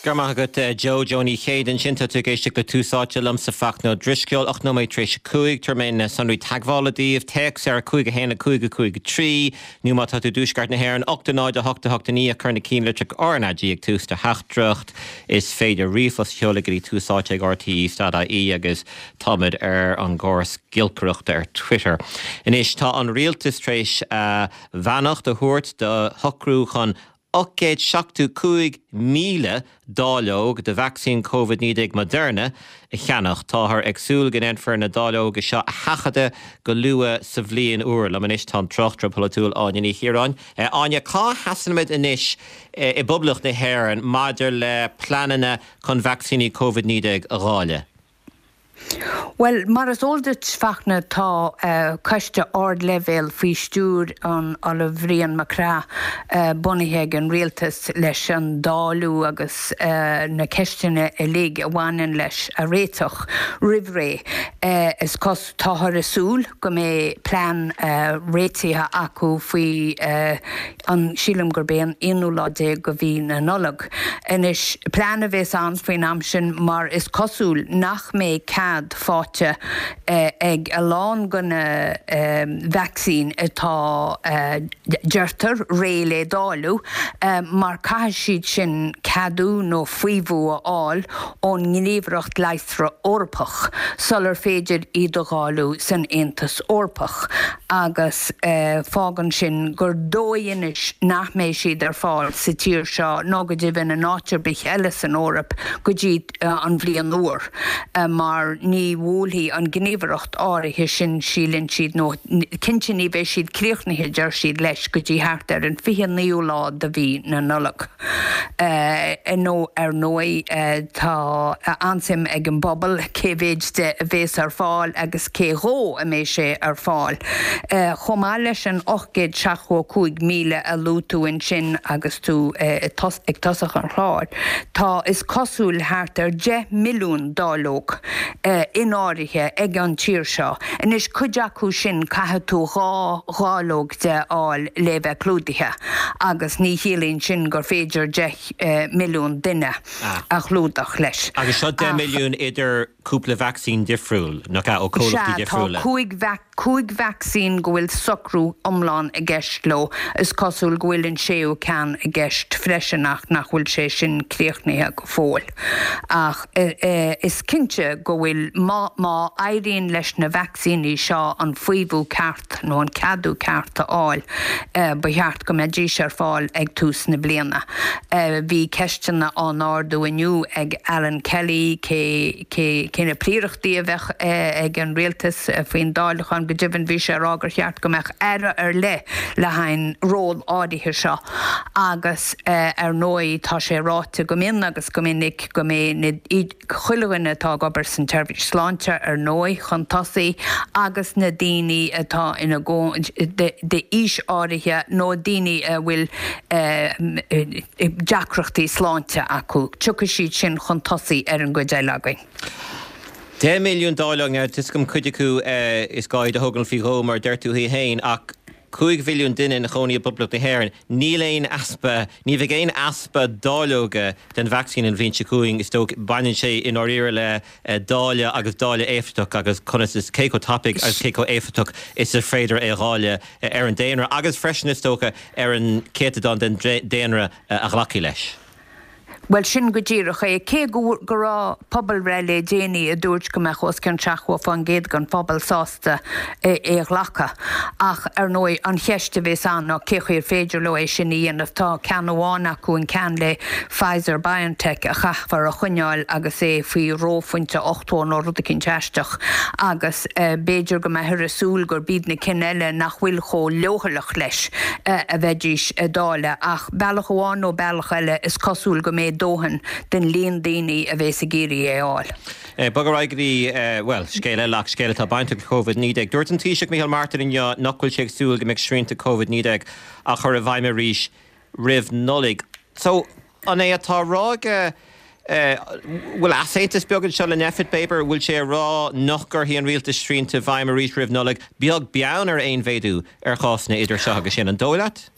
Go raibh maith agat Joe, Joe Ní Chéide ansin. Tá tú ag éisteacht le Tús Áite liomsa Fachtna Ó Drisceoil, 8 nóiméad tar éis a 5. Tabharfaidh mé na sonraí teagmhála daoibh. Téacs ar 5 1 5 5 3 nó má tá tú i dTuaisceart na hÉireann, 8 0 8 8 9 ach cuir na cinnlitreacha RnaG ag tús do theachtaireacht. Is féidir ríomhphost a sheoladh go dtí Tús Áite ag rte.ie agus táimid ar an gcóras giolcaireachta ar Twitter. Anois tá an rialtas tar éis a bheannacht a thabhairt do shocrú chun 875,000 dáileog de vacsaín Covid-19 Moderna a cheannach. Táthar ag súil go ndéanfar na dáileoga seo a sheachadadh go luath sa bhliain úr. Liom anois tá an tráchtaire polaitiúil Áine Ní Chiaráin. Áine, cá sheasaimid anois i bPoblacht na hÉireann maidir le pleananna chun vacsaíní Covid-19 a dháileadh? Bhuel, mar is eol duit, Fachtna, tá coiste ardleibhéil faoi stiúir an Ollaimh Bhrian Mac Craith bunaithe ag an Rialtas leis an dáileadh agus na ceisteanna uilig a bhaineann leis a réiteach roimh ré. Is cos, táthar ag súil go mbeidh plean réitithe acu faoi an, sílim gurb é an aonú lá déag de mhí na Nollag. Anois, plean a bhéas ann faoin am sin mar is cosúil nach mbeidh cead faighte ag a lán de na vacsaín atá, deirtear, réidh le dáileadh, mar caithfidh siad sin ceadú nó faomhadh a fháil ón nGníomhaireacht Leigheasra Eorpach sular féidir iad a dháileadh san Aontas Eorpach agus fágann sin gur dóigh anois nach mbeidh siad ar fáil sa tír seo ná go deimhin in áit ar bith eile san Eoraip go dtí an bhliain úr mar ní bhuailfidh an ghníomhaireacht áirithe sin, síleann siad, nó cinnte ní bheidh siad críochnaithe, deir siad, leis go dtí thart ar an 29ú lá de mhí na Nollag. Nó ar ndóigh tá an-suim ag an bpobal cé mhéid de a bhéas ar fáil agus cé dhó a mbeidh sé ar fáil. Chomh maith leis an 875,000 a luaigh tú ansin agus tú ag tosach an chláir, tá is cosúil thart ar 10 milliún dáileog in áirithe ag an tír seo. Anois cuid acu sin caithfidh tú dhá dháileog de a fháil le bheith clúdaithe. Agus ní chiallaíonn sin gur féidir 10 milliún duine a chlúdach leis. Agus seo 10 milliún idir cúpla vacsaín difriúil, nach ea, ó comhlachtaí difriúla? Sea, tá cúig vacsaín go bhfuil socrú iomlán i gceist leo. Is cosúil go bhfuil an séú ceann i gceist freisin ach nach bhfuil sé sin críochnaithe go fóill. Ach is cinnte go bhfuil, má éiríonn leis na vacsaíní seo an faomhadh ceart, nó an ceadú ceart a fháil, ba cheart go mbeidís ar fáil ag tús na bliana. Bhí ceisteanna á n-ardú inniu ag Alan Kelly, cé, cé, cé na príorachtaí a bheadh ag an rialtas faoin dáileachán. Go deimhin bhí sé ag rá gur cheart go mbeadh aire ar leith le haghaidh an ról áirithe seo agus ar ndóigh tá sé ráite go mion agus go minic go mbeidh na, chuile dhuine atá ag obair san tseirbhís sláinte, ar ndóigh, chun tosaigh, agus na daoine atá ina d'aois áirithe nó daoine a bhfuil deacrachtaí sláinte acu, tiocfaidh siad sin chun tosaigh ar an gcuid eile againn. 10 milliún dáileog, now tá 'fhios agam cuid acu is gá iad a thógáil faoi dhó mar a deir tú féin, ach 5 mhilliún duine ina chónaí i bPoblacht na hÉireann, níl aon easpa, ní bheidh aon easpa dáileoga den vacsaín an bhliain seo chugainn, is dócha. Baineann sé i ndáiríre le dáileadh agus dáileadh éifeachtach agus conas is, cé chomh tapaidh agus cé chomh éifeachtach is is féidir é a dháileadh ar an daonra agus freisin, is dócha, ar an céatadán den daonra a ghlacfaidh leis. Bhuel, sin go díreach é. Cé go go raibh pobalbhreith le déanaí a dúirt go mbeadh os cionn 70% den phobal sásta é a ghlacadh. Ach, ar ndóigh, an cheist a bhéas ann ná cé chaoi ar féidir leo é sin a dhéanamh. Tá ceann amháin acu, an ceann le Pfizer-BioNTech, a chaithfear a choinneáil agus é faoi reophointe 80 nó rud eicínt aisteach agus b'fhéidir go mbeifear ag súil gurb iad na cinn eile nach bhfuil chomh leochaileach leis a bheidís ag dáileadh. Ach bealach amháin nó bealach eile, is cosúil go mbeidh dóthain den líon daoine a bhéas ag iarraidh é a fháil. Bog ar aghaidh go dtí, bhuel, scéal eile ach scéal atá bainteach le Covid-19. Dúirt an Taoiseach Micheál Martin inniu nach bhfuil sé ag súil go mbeidh srianta Covid-19 á chur i bhfeidhm arís roimh Nollaig. So, an é atá á rá aige, bhfuil easaontas beag anseo le Nphet, Baber? Bhfuil sé ag rá nach gcuirfidh an rialtas srianta i bhfeidhm arís roimh Nollaig, beag beann ar aon mhéadú ar chásanna idir seo agus sin? An dóigh leat?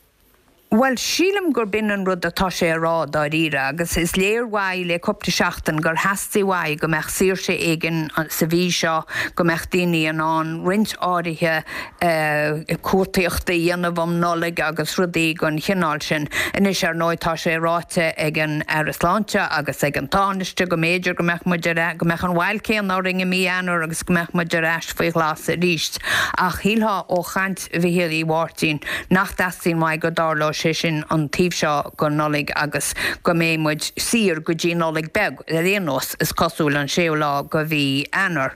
Bhuel, sílim gurb in an rud atá sé a rá, dáiríre, agus is léir uaidh le cúpla seachtain gur theastaigh uaidh go mbeadh saoirse éigin sa mhí seo, go mbeadh daoine in ann roinnt áirithe cuartaíochta a dhéanamh um Nollaig agus rudaí den chineál sin. Anois, ar ndóigh, tá sé ráite ag an Aire Sláinte agus ag an Tánaiste go mb'fhéidir go mbeadh muid ar, go mbeadh an bhail céanna orainn i mí Eanáir agus go mbeadh muid ar ais faoi ghlas arís. Ach shílfeá ó chaint Mhichíl Uí Mháirtín nach dteastaíonn uaidh go dtarlódh sé sin an taobh seo den Nollaig agus go mbeidh muid saor go dtí Nollaig Beag ar aon nós, is cosúil, an séú lá de mhí Eanáir.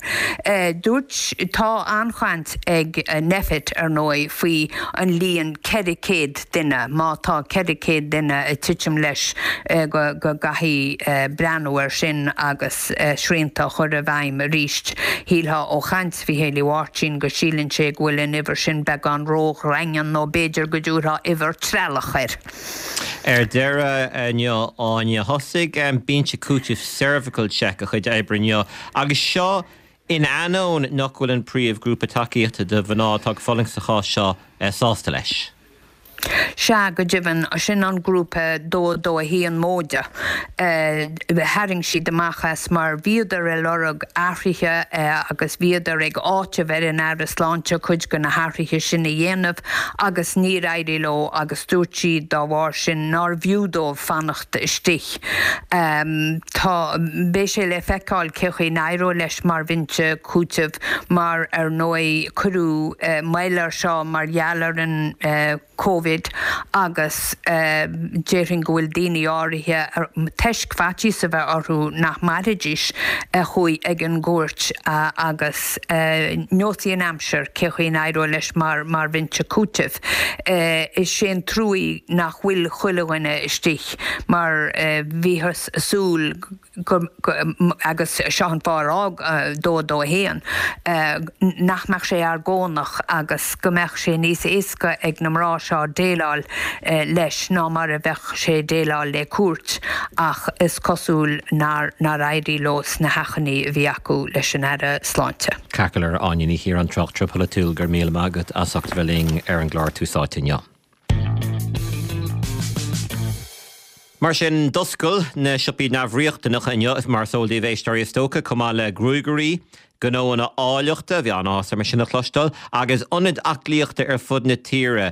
Dúirt, tá an-chaint ag Nphet, ar ndóigh, faoi an líon 400 duine, má tá 400 duine ag titim leis go gcaithfidh breathnú air sin agus srianta a chur i bhfeidhm arís. Shílfeá ó chaint Mhichíl Uí Mháirtín go síleann sé go bhfuil an uimhir sin beagán ródhaingean nó b'fhéidir go dtabharfá uimhir treallach air. Ar deireadh inniu, Áine, thosaigh binse cúitimh CervicalCheck a chuid oibre inniu agus seo in ainneoin nach bhfuil an príomhghrúpa tacaíochta do mhná atá ag fulaingt sa chás seo sásta leis. Sea, go deimhin, sin an grúpa 2 2 1 móide. Tharraing siad amach as mar bhíodar ag lorg athruithe agus bhíodar ag áiteamh ar an Aire Sláinte cuid de na hathruithe sin a dhéanamh agus níor éirigh leo agus dúirt siad dá bharr sin nár bhfiú dóibh fanacht istigh. Tá, beidh sé le feiceáil cé chaoi n-éireoidh leis mar bhinse cúitimh mar ar ndóigh cuireadh moill air seo mar gheall ar an Covid agus déarfainn go bhfuil daoine áirithe, toisc faitíos a bheith orthu nach mairfidís, a chuaigh ag an gcúirt agus neosfaidh an aimsir cé chaoi n-éireoidh leis mar bhinse cúitimh. Is é an truaí nach bhfuil chuile dhuine istigh mar bhíothas ag súil go, agus seo an fáth ar fhág 2 2 1, nach mbeadh sé argónach agus go mbeadh sé níos éasca ag na mná seo déileáil leis ná mar a bheadh sé déileáil le cúirt ach is cosúil nár éirigh leo sna hachainí a bhí acu leis an Aire Sláinte. Ceart go leor, Áine Ní Chiaráin, tráchtaire polaitiúil, go raibh míle maith agat as ucht a bheith linn ar an gclár Tús Áite inniu. Mar sin, d'oscail na siopaí neamhriachtanacha inniu, mar is eol daoibh, éisteoirí, is dócha, chomh maith le gruagairí, gnóanna áilleachta, bhí an-áthas orm é sin a chloisteáil, agus ionaid aclaíochta ar fud na tíre.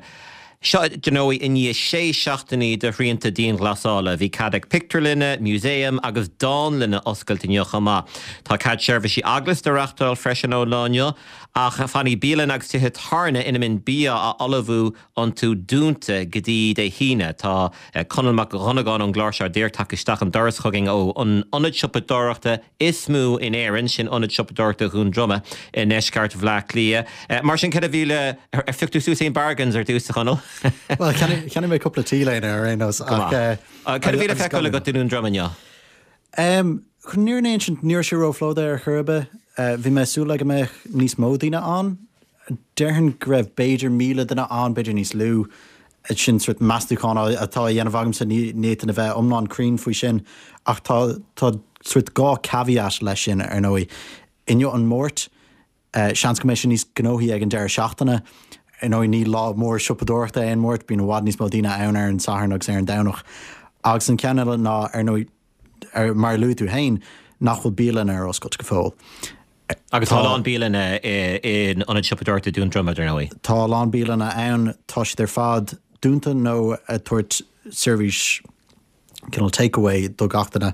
Seo, dar ndóigh, i ndiaidh sé seachtainí de shrianta dianghlasála. Bhí cead ag pictiúrlanna, músaeim agus dánlanna oscailt inniu chomh maith. Tá cead seirbhísí eaglasta a reachtáil freisin ón lá inniu, ach fanfaidh bialanna agus tithe tábhairne ina mbíonn bia á ullmhú iontu dúnta go dtí Dé hAoine. Tá Conall Mac Dhonnagáin ón gclár seo díreach tagtha isteach an doras chugainn ó an ionad siopadóireachta is mó in Éirinn, sin Ionad Siopadóireachta Dhún Droma i ndeisceart Bhaile Átha Cliath. Mar sin, cad a bhí le, ar phioc tú suas aon bargains ar dtús, a Chonaill? Bhuel, cheannaigh mé cúpla t-léine ar aon nós ach. Cad a bhí le feiceáil agat i nDún Droma inniu? Chun an fhírinne a insint, ní raibh sé róphlódaithe ar chor ar bith. Bhí mé ag súil le go mbeadh níos mó daoine ann. Déarfainn go raibh b'fhéidir 1,000 duine ann, b'fhéidir níos lú. Sin sort meastúchán atá á dhéanamh agamsa, ní fhéadfainn a bheith iomlán cruinn faoi sin. Ach tá tá sort dhá caveat leis sin, ar ndóigh. Inniu an Máirt, seans go mbeidh sé níos gnóthaí ag an deireadh seachtaine. Ar ndóigh, ní lá mór siopadóireachta é an Máirt, bíonn i bhfad níos mó daoine ann ar an Satharn agus ar an Domhnach. Agus an ceann eile ná, ar ndóigh, mar a luaigh tú féin, nach bhfuil bialanna ar oscailt go fóill. Agus tá a lán bialanna in Ionad Siopadóireachta Dún Droma, dar ndóigh. Tá a lán bialanna ann, tá siad ar fad dúnta nó ag tabhairt seirbhís cineál takeaway do gach duine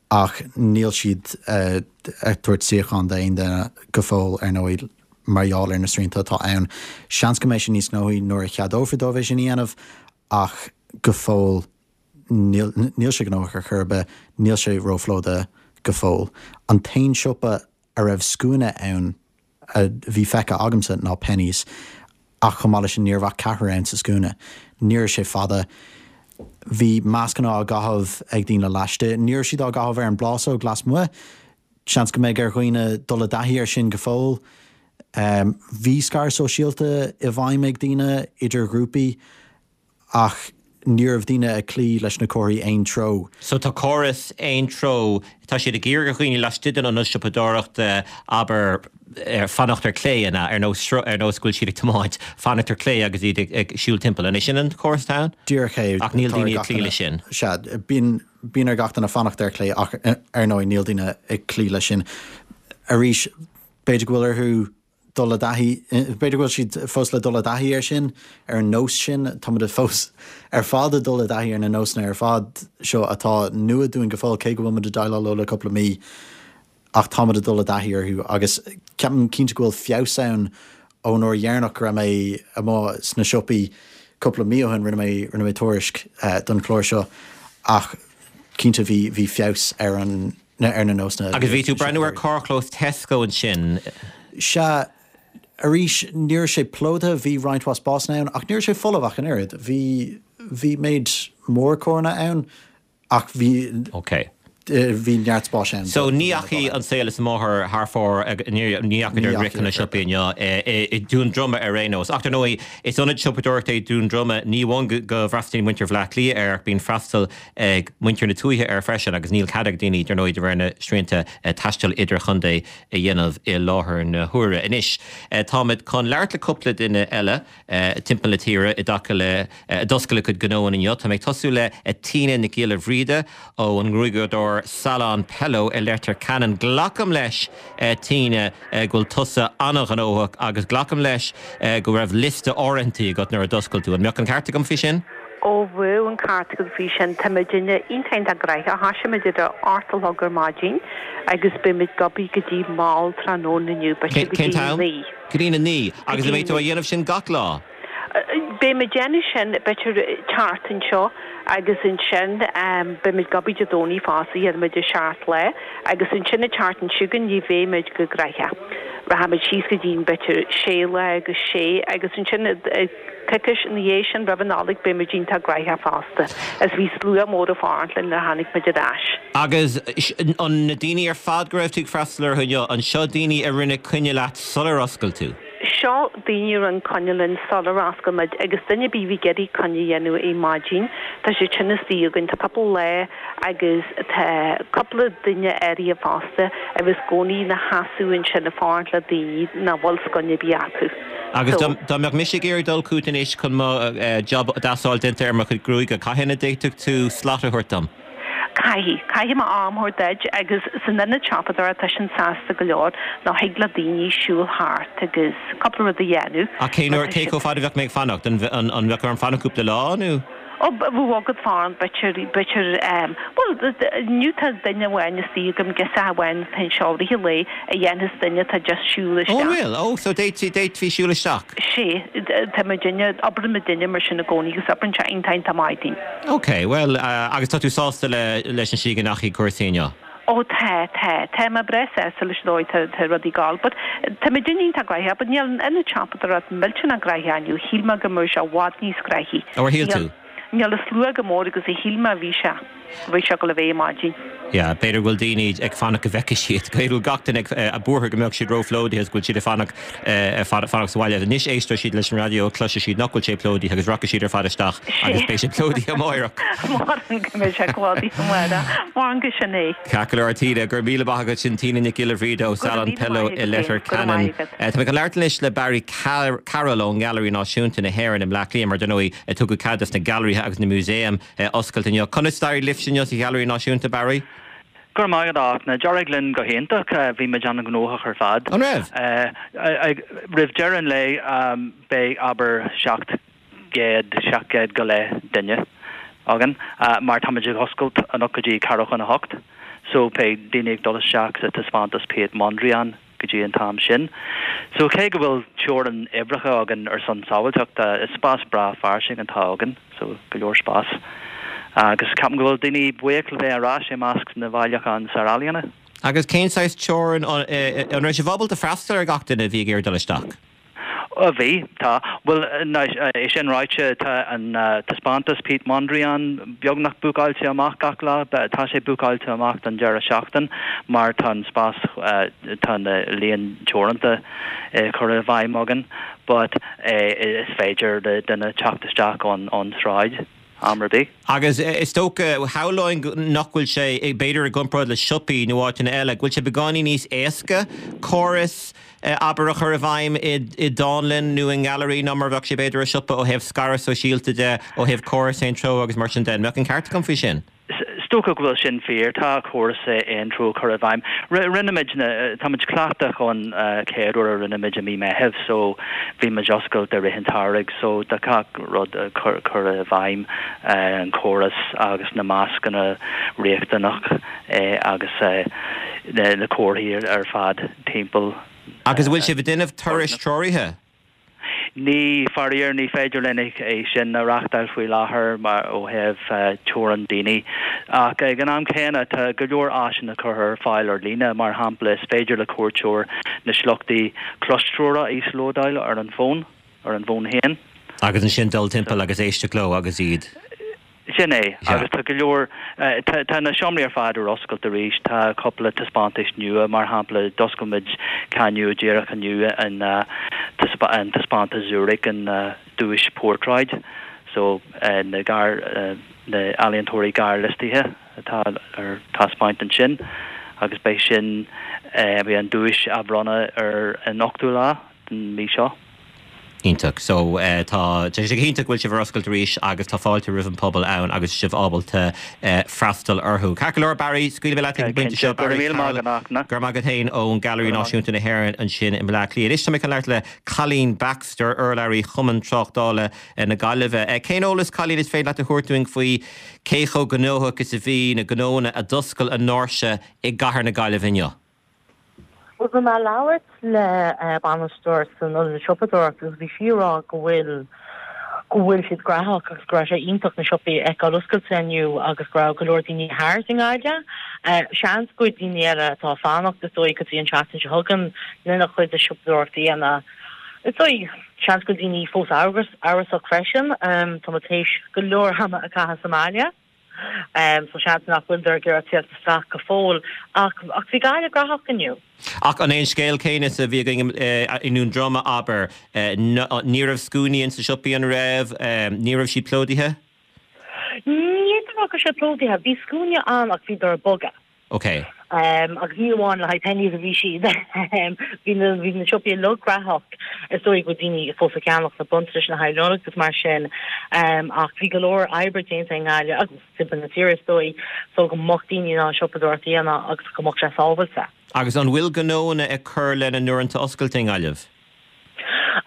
ach níl siad ag tabhairt suíochán d'aon duine go fóill, ar ndóigh, mar gheall ar na srianta atá ann. Seans go mbeidh sé níos gnóthaí nuair a cheadófar dóibh é sin a dhéanamh ach go fóill, Níl, níl sé gnóthach ar chor ar bith, níl sé róphlódaithe go fóill. An t-aon siopa a raibh scuaine ann a bhí feicthe agamsa ná Penneys, ach chomh maith leis sin ní raibh ach ceathrar ann sa scuaine. Ní raibh sé fada. Bhí mascanna á gcaitheamh ag daoine laistigh. Ní raibh siad á gcaitheamh ar an bplásóg lasmuigh. Seans go mbeidh ar dhaoine dul i dtaithí air sin go fóill. Bhí scaradh sóisialta i bhfeidhm ag daoine idir ghrúpaí. Ach Ní raibh daoine ag cloí leis na comharthaí aon treo. So tá córas aon treo, tá siad ag iarraidh ar dhaoine laistigh den ionad siopadóireachta, abair, fanacht ar clé, an ea? Ar nós, ar nós go bhfuil siad ag tiomáint, fanacht ar clé agus iad ag siúl timpeall. An é sin an córas atá ann? Díreach é. Ach níl daoine ag cloí leis sin. Sea, bíonn, bíonn ar gach duine fanacht ar clé ach ar ndóigh níl daoine ag cloí leis sin. Arís, b'fhéidir go bhfuil orthu dul i dtaithí, b'fhéidir go bhfuil siad fós le dul i dtaithí air sin, ar an nós sin, táimid fós ar fad ag dul i dtaithí ar na nósanna ar fad seo atá nua dúinn go fóill, cé go bhfuil muid ag déileáil leo le cúpla mí, ach táimid ag dul i dtaithí orthu agus ceapaim cinnte go bhfuil feabhas ann ón uair dheireanach go raibh mé amuigh sna siopaí cúpla mí ó shin, rinne mé, rinne mé tuairisc don chlár seo ach cinnte bhí, bhí feabhas ar an. ar na nósanna. Agus bhí tú ag breathnú ar carrchlós Tesco ansin. Sea, arís, ní raibh sé plódaithe, bhí roinnt mhaith spásanna ann, ach ní raibh sé folamh ach an oiread. Bhí, bhí méid mór carranna ann, ach bhí, Ok. bhí neart spáis ann. So ní dheachaigh an saol is a máthair thar fóir, ní dheachaigh ar chun na siopaí inniu i Dún Droma ar aon nós. Ach dar ndóigh, is ionad siopadóireachta é Dún Droma, ní amháin go bhfreastalaíonn muintir Bhaile Átha Cliath air ach bíonn freastal ag muintir na tuaithe air freisin agus níl cead ag daoine, dar ndóigh, de réir na srianta, taisteal idirchontae a dhéanamh i láthair na huaire. Anois, táimid chun labhairt le cúpla duine eile timpeall na tíre i dtaca le, a d'oscail a gcuid gnóanna inniu. Tá mé ag tosú le Tina Nic Giolla Bhríde ó an ngruaigeadóir Salon Pello i Leitir Ceanainn. Glacaim leis, Tina, go bhfuil tusa an-ghnóthach agus glacaim leis go raibh liosta áirithintí agat nuair a d'oscail tú. An mbeadh an ceart agam faoi sin? Ó bheadh an ceart agat faoi sin. Tá muidinne iontach iontach gnoitheach. Thoisigh muid ar a 8 a chlog ar maidin agus beidh muid ag obair go dtí mall tráthnóna inniu, b'fhéidir go dtí a 9. Go dtí a 9. Agus an mbeidh tú á dhéanamh sin gach lá? Beidh muid ag déanamh sin b'fhéidir an tseachtain seo agus ansin beidh muid ag obair Dé Domhnaigh fosta, dhéanfaidh muid an seacht lá agus ansin an tseachtain seo chugainn ní bheidh muid chomh gnoitheach. Rachaidh muid síos go dtí b'fhéidir sé lá agus sé agus ansin Coicís ina dhiaidh sin, roimh an Nollaig, beidh muid iontach gnoitheach fosta, is bhí slua mór ag fanacht linn nuair a tháinig muid ar ais. Agus an na daoine ar fad go raibh tú ag freastal orthu inniu, an seo daoine a rinne coinne leat sular oscail tú? Seo daoine a rinne coinne linn sular oscail muid agus duine ar bith a bhí ag iarraidh coinne a dhéanamh ar maidin, tá siad sin istigh againn, tá cúpla lá agus tá cúpla duine áirithe fosta a bheas i gcónaí ina sheasamh ansin ag fanacht le daoine nach bhfuil coinne ar bith acu. Agus dá mbeadh mise ag iarraidh dul chugat anois chun mo job deas a fháil déanta ar mo chuid gruaige, cathain a d'fhéadfadh tú slot a thabhairt dom? Caithfidh. Caithfidh mé am a thabhairt duit agus san ionad siopadóireachta tá sin sásta go leor nó thig le daoine siúl thart agus cúpla rud a dhéanamh. Ach cén uair, cé chomh fada a bheadh mé ag fanacht? An mbeadh orm fanacht cúpla lá nó? Ó, bheadh agat fanacht, b'fhéidir, b'fhéidir, bhuel, inniu tá duine amháin istigh agam, girseach amháin atá anseo i rith an lae a dhéanfas duine atá just siúl isteach. Ó, an bhfuil? Ó, so d'fhéadfaí, d'fhéadfaí siúl isteach? Sea, tá muidinne, oibreann muidinne mar sin i gcónaí agus oibreann sé iontach, iontach maith dúinn. Ok, bhuel, agus tá tú sásta le, leis an slí go ndeachaigh cúrsaí inniu? Ó tá, tá. Tá mé breá sásta leis an dóigh tá, tá rudaí ag gabháil. But tá muidinne iontach gnoitheach, but níl an ionad siopadóireachta millteanach gnoitheach inniu. Shíl mé go mbeadh sé i bhfad níos gnoithí. Ó, ar shíl tú? Níl an slua chomh mór agus a shíl mé a bhí sé, a bhí sé ag dul a bheith ar maidin. Yeah, b'fhéidir go bhfuil daoine ag fanacht go bhfeicfidh siad, b'fhéidir go bhfuil gach duine ag buartha go mbeadh siad róphlódaithe agus go bhfuil siad ag fanacht, fanacht sa bhaile. Anois éistfidh siad leis an raidió, cloisfidh siad nach bhfuil sé plódaithe agus rachaidh siad ar fad isteach agus beidh sé plódaithe amáireach. Maram go mbeidh sé plódaithe amárach. Maram gur sin é. Ceart go leor, Tina, go raibh míle maith agat. Sin Tina Nic Giolla Bhríde ó Salon Pello i Leitir Ceanainn. Tá mé chun labhairt anois le Barry Carroll ón nGailearaí Náisiúnta na hÉireann i mBleá Cliath, mar dar ndóigh tugadh cead dos na gailearaithe agus na músaeim oscailt inniu. Conas d'éirigh libhse inniu sa Ghailearaí Náisiúnta, Barry? Go raibh maith agat, a Fhachtna. D'éirigh linn go hiontach. Bhí muid an-ghnóthach ar fad. An raibh? Roimh deireadh an lae beidh, abair, 700, 700 go leith duine againn mar táimid ag oscailt anocht go dtí ceathrú chun a hocht. So beidh daoine ag dul isteach sa taispeántas Piet Mondrian. go dtí an t-am sin. So cé go bhfuil teorainn uimhreacha againn ar son sábháilteachta, is spás breá fairsing atá againn, so go leor spás. Agus ceapaim go bhfuil daoine buíoch le bheith ar ais i measc na bhailiúchán sárealaíona. Agus cén saghas teorainn, an raibh sibh ábalta freastal ar gach duine a bhí ag iarraidh dul isteach? Bhí, tá. Bhuel, é sin ráite, tá an taispeántas Piet Mondrian beagnach búcáilte amach gach lá. Tá sé búcáilte amach don deireadh seachtain mar tá an spás, tá na líon teoranta curtha i bhfeidhm againn. But is féidir le duine teacht isteach ón sráid. Am ar bith. Agus is dócha, shamhlóinn nach bhfuil sé, b'fhéidir i gcomparáid le siopaí nó áiteanna eile, go bhfuil sé beagáinín níos éasca córas, abair, a chur i bhfeidhm i dánlann nó i ngailearaí ná mar a bheadh sé b'fhéidir i siopa ó thaobh scaradh sóisialta de, ó thaobh córas aon treo agus mar sin de. An mbeadh an ceart agam faoi sin? Is dócha go bhfuil sin fíor. Tá córas aon treo curtha i bhfeidhm. Rinne muid na, tá muid cleachtach ón chéad uair a rinne muid i mí Meitheamh so bhí muid oscailte i rith an tsamhraidh so tá gach rud curtha i bhfeidhm, an córas agus na mascanna riachtanach agus na comharthaí ar fad timpeall. Agus an bhfuil sibh ag déanamh turais treoraithe? Ní, faraor, ní féidir linn é sin a reachtáil faoi láthair mar ó thaobh teorann daoine. Ach ag an am céanna, tá go leor áiseanna curtha ar fáil ar líne. Mar shampla, is féidir le cuairteoir na sliochtaí clostreorach a íoslódáil ar an bhfón, ar an bhfón féin. Agus ansin dul timpeall agus éisteacht leo agus iad. Sin é, agus tá go leor, tá na seomraí ar fad ar oscailt arís, tá cúpla taispeántais nua, mar shampla d'oscail muid ceann nua díreach inniu, an an taispeántas Zurich, an duais portráid, so na gearr, na ealaíontóirí gearrliostaithe atá ar taispeáint ansin agus beidh sin, beidh an duais á bhronnadh ar an ochtú lá den mhí seo. Iontach. So, tá sé go hiontach go bhfuil sibh ar oscailt arís agus tá fáilte roimh an pobal ann agus sibh ábalta freastal orthu. Ceart go leor, Barry, scaoilfidh mé leat ag an bpointe seo. Go raibh míle maith agat, Fachtna. Go raibh maith agat féin ón Gailearaí Náisiúnta na hÉireann ansin i mBleá Cliath. Anois tá mé chun labhairt le Colleen Baxter, urlabhraí Chumann Tráchtála na Gaillimhe. Cén eolas, Colleen, is féidir leat a thabhairt dúinn faoi cé chomh gnóthach is a bhí na gnóanna a d'oscail a ndoirse i gcathair na Gaillimhe inniu? Bhuel, bhí mé ag labhairt le bainisteoir san ionad siopadóireachta agus bhí sí ag rá go bhfuil go bhfuil siad graitheach agus go raibh sé iontach na siopaí a fheiceáil oscailte inniu agus go raibh go leor daoine thart i nGaillimh. Seans go bhfuil daoine eile atá ag fanacht is dóigh go dtí an tseachtain seo chugainn lena chuid de siopadóireacht a dhéanamh. Is dóigh, seans go bhfuil daoine fós amhrasach freisin. Tá muid théis go leor ama a chaitheamh sa mbaile. So seans nach bhfuileadar ag iarraidh tíocht isteach go fóill. Ach ach bhí Gaillimh graitheach inniu. Ach an é an scéal céanna is a bhí againn i nDún Droma, abair? Ní raibh scuainí ins na siopaí, an raibh? Ní raibh siad plódaithe? Ní fhéadfainn a rá go raibh siad plódaithe. Bhí scuaine ann ach bhíodar ag bogadh. Ok. Agus ní amháin le haghaidh Penneys a bhí siad. Bhí na bhí na siopaí uilig graitheach. Is dóigh go bhfuil daoine fós ag ceannach na bronntanais le haghaidh Nollag agus mar sin. Ach bhí go leor oibre déanta i nGaillimh agus timpeall na tíre is dóigh so go mbeadh daoine in ann siopadóireacht a dhéanamh agus go mbeadh sé sábhailte. Agus an bhfuil gnóanna ag cur lena n-uaireanta oscailte i nGaillimh?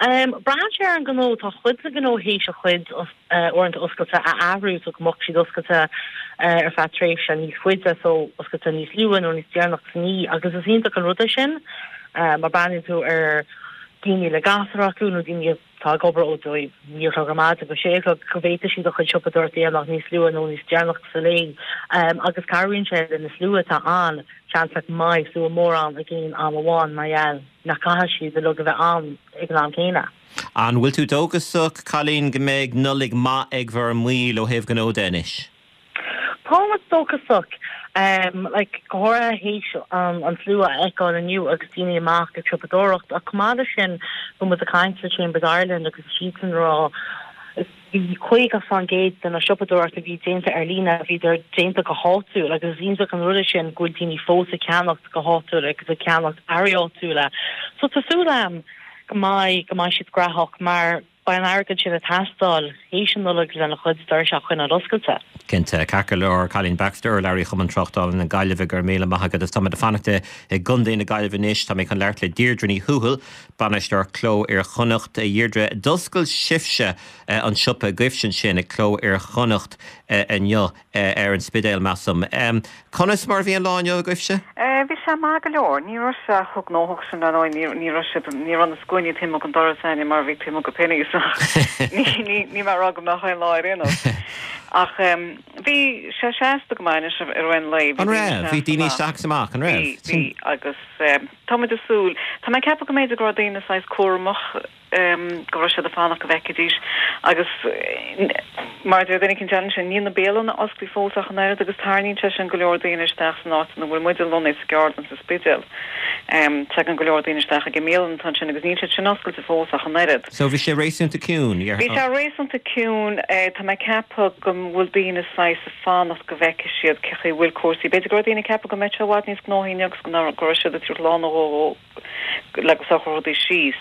Braitheann sé ar an ngnó. Tá cuid de na gnó théis a chuid uaireanta oscailte a athrú so go mbeadh siad oscailte ar feadh tréimhse níos faide, so oscailte níos luaithe nó níos deireanach san oíche agus is iontach an rud é sin mar breathnaíonn tú ar daoine le gasúir acu nó daoine atá ag obair ó 9 a chlog ar maidin go 6 a chlog go bhféadfaidh siad a chuid siopadóireacht a dhéanamh níos luaithe nó níos deireanach sa lae agus cabhraíonn sé le na slua atá ann, seans nach mbeidh slua mór ann ag aon am amháin mar gheall. nach gcaithfidh siad uilig a bheith ann ag an am céanna. An bhfuil tú dóchasach, Colleen, go mbeidh Nollaig maith ag bhur mbaill ó thaobh gnó de anois? Táimid dóchasach, like, go háirithe théis an slua a fheiceáil inniu agus daoine amach ag siopadóireacht ach chomh maith leis sin bhí muid ag caint le Chambers Ireland agus siadsan ag rá Bhí 50% de na siopadóireacht a bhí déanta ar líne, bhíodar déanta go háitiúil agus is iontach an rud é sin go bhfuil daoine fós ag ceannacht go háitiúil agus ag ceannacht earraí áitiúla. So tá súil agam go mbeidh, go mbeidh siad graitheach mar beidh an airgead sin ag teastáil théis an Nollaig lena chuid doirse a choinneáil oscailte. Cinnte. Ceart go leor, Colleen Baxter, urlabhraí Chumann Tráchtála na Gaillimhe, go raibh míle maith agat. Agus táimid ag fanacht i gContae na Gaillimhe anois. Tá mé chun labhairt le Deirdre Ní Thuathail, Bainisteoir Cló Iar-Chonnacht, a Dheirdre, d'oscail sibhse an siopa agaibhse ansin ag Cló Iar-Chonnacht inniu ar an Spidéal, measaim. Conas mar a bhí an lá inniu agaibhse? Bhí sé maith go leor. Ní raibh sé chomh gnóthach sin, ar ndóigh. Ní raibh sé, ní raibh na scuainí taobh amuigh den doras againne mar a bhí taobh amuigh de Penneys ach níl mé ag rá go mbeadh aon lá ar aon nós. Ach bhí sé seasta go maith anois i rith an lae. An raibh? Bhí daoine isteach is amach, an raibh? Bhí, bhí agus. Tá muid ag súil. Tá mé ag ceapadh go mb'fhéidir go raibh daoine saghas cúramach. go raibh siad ag fanacht go bhfeicfidís agus mar a deir duine éicint eile ansin, níl na bialanna oscailte fós ach an oiread agus tarraingíonn sé sin go leor daoine isteach san áit ina bhfuil muide lonnaithe sa gceardlann sa Spidéal. Tagann go leor daoine isteach ag an mbialann atá ansin agus níl siad sin oscailte fós ach an oiread. So bhí sé réasúnta ciúin, Bhí sé réasúnta ciúin. Tá mé ag ceapadh go bhfuil daoine saghas ag fanacht go bhfeicfidh siad cé chaoi a bhfuil cúrsaí. B'fhéidir go raibh daoine ag ceapadh go mbeadh sé i bhfad níos gnóthaí inniu agus go raibh siad ag tabhairt lá nó dhó le go socródh rudaí síos.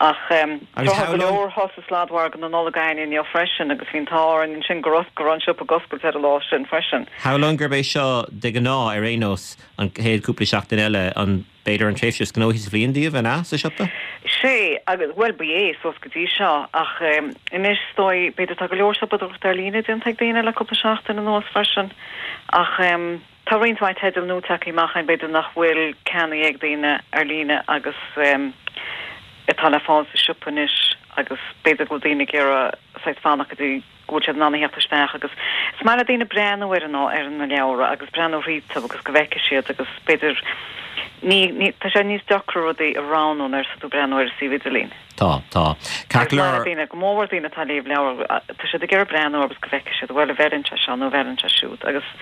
Ach tá go leor thall sa sladmhargadh na Nollag againn inniu freisin agus bhí an t-ádh orainn ansin go raibh go raibh an siopa ag oscailt ar an lá sin freisin. Shamhlóinn gurb é seo de ghnáth ar aon nós an chéad chúpla seachtain eile an b'fhéidir an tréimhse is gnóthaí sa bhliain daoibh, an ea, sa siopa? Sé, agus, bhuel, ba é, suas go dtí seo, ach anois is dóigh, b'fhéidir tá go leor siopadóireachta ar líne déanta ag daoine le cúpla seachtain anuas freisin, ach. Tá roinnt mhaith teidil nua tagtha amach ann b'fhéidir nach bhfuil ceannaithe ag daoine ar líne agus atá le fáil sa siopa anois agus b'fhéidir go bhfuil daoine ag iarraidh saghas fanacht go dtí go bhfuil siad in ann a theacht isteach agus is maith le daoine breathnú ar an ar na leabhra agus breathnú thríothu agus go bhfeicfidh siad agus b'fhéidir ní ní tá sé níos deacra rudaí a roghnú nuair atá tú ag breathnú ar an suíomh idirlín. Tá, tá. Ceart go leor. Daoine, go mór mhór daoine atá ag léamh leabhar, tá siad ag iarraidh breathnú agus go bhfeicfidh siad, bhuel, an bhfeileann sé seo nó an bhfeileann sé siúd agus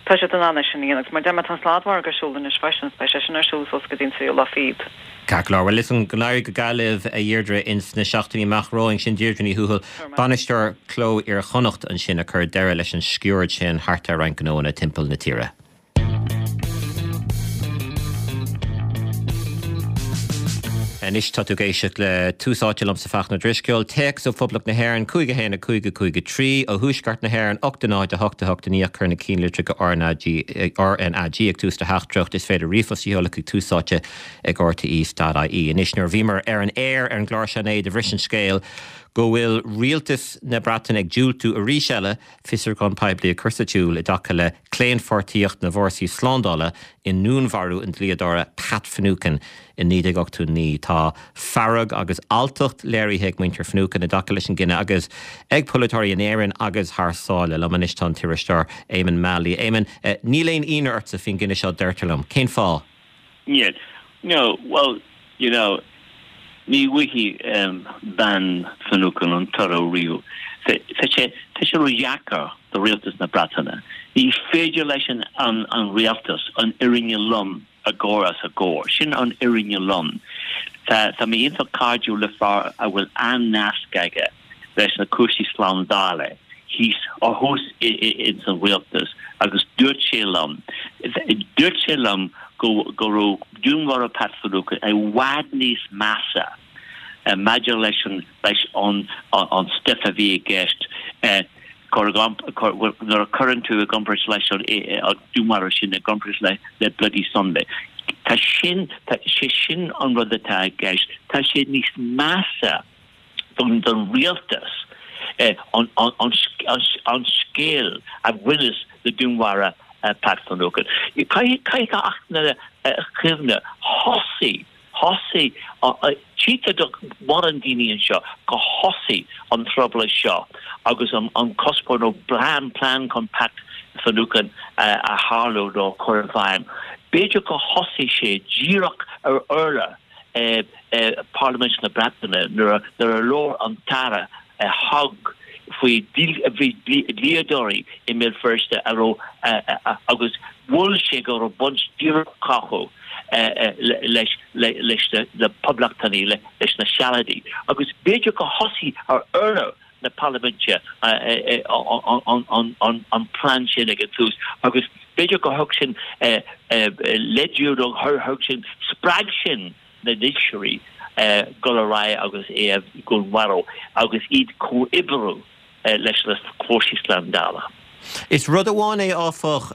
tá siad in ann é sin a dhéanamh. Agus mar a deir mé, tá an sladmhargadh ar siúl anois freisin agus beidh sé sin ar siúl suas go dtí an tríú lá fichead. Ceart go leor. Bhuel, is go n-éirí go geal libh, a Dheirdre, ins na seachtainí amach romhainn. Sin Deirdre Ní Thuathail, Bainisteoir Cló Iar-Chonnacht ansin ag cur deireadh leis an sciuird sin thart ar roinnt gnóanna timpeall na tíre. Anois tá tú ag éisteacht le Tús Áite liomsa Fachtna Ó Drisceoil. Téacs ó Phoblacht na hÉireann, 5 1 5 5 3, ó Thuaisceart na hÉireann, 8 0 8 8 9 ach cuir na cinnlitreacha RnaG RnaG ag tús do theachtaireacht. Is féidir ríomhphost a sheoladh chuig túsáite ag rte.ie. Anois nuair a bhíomar ar an aer ar an gclár seo inné do bhris an scéal go bhfuil rialtas na Breataine ag diúltú arís eile fiosrúchán poiblí a chur sa tsiúl i dtaca le claonpháirtíocht na bhfórsaí slándála i ndúnmharú an dlíodóra Pat Finucane i 1989. Tá fearg agus alltacht léirithe ag muintir Finucane i dtaca leis an gcinneadh agus ag polaiteoirí in Éirinn agus thar sáile. Liom anois tá an t-iriseoir Éamonn Mallie. Éamonn, níl aon ionadh ortsa faoin gcinneadh seo, deirtear liom. Cén fáth? Níl. No, well, you know, ní bhfaighidh bean Finucane an toradh riamh. Tá sé, tá sé ródheacair do rialtas na Breataine. Ní féidir leis an, an, an rialtas an fhírinne lom a chur os a gcomhair. Sin an fhírinne lom. Tá, tá mé iontach cairdiúil le fear a bhfuil an-nasc aige leis na cúrsaí slándála thíos or thuas ins an rialtas agus dúirt sé liom, dúirt sé liom go go raibh dúnmharú Pat Finucane i bhfad níos measa maidir leis an leis an an stuif a bhí i gceist cur nuair a chuireann tú i gcomparáid leis an dúnmharú sin i gcomparáid le le Bloody Sunday. Tá sin, tá sé sin an rud atá i gceist, tá sé níos measa don rialtas an scéal a bhaineas le dúnmharú Pat Finucane. Caithfidh gach duine cuimhneamh, thosaigh, thosaigh, tchítear do mhórán daoine anseo go thosaigh an trioblóid seo agus an cuspóir nó plean, plean chun Pat Finucane a tharlú nó a chur i bhfeidhm. B'fhéidir go thosaigh sé díreach ar urlár Parlaimint na Breataine nuair a labhair an tAire Hogg faoi dhlíodóirí i mBéal Feirste a raibh agus mhol sé go raibh baint díreach acu leis na Poblachtánaigh, leis na Sealadaigh agus b'fhéidir gur thosaigh ar urlár na Parlaiminte an plean sin ag an tús agus b'fhéidir gur thug sin léidiú nó thug sin, spreag sin na dílseoirí dul ar aghaidh agus é a dhúnmharú agus iad comhoibriú leis na fórsaí slándála. Is rud amháin é, áfach,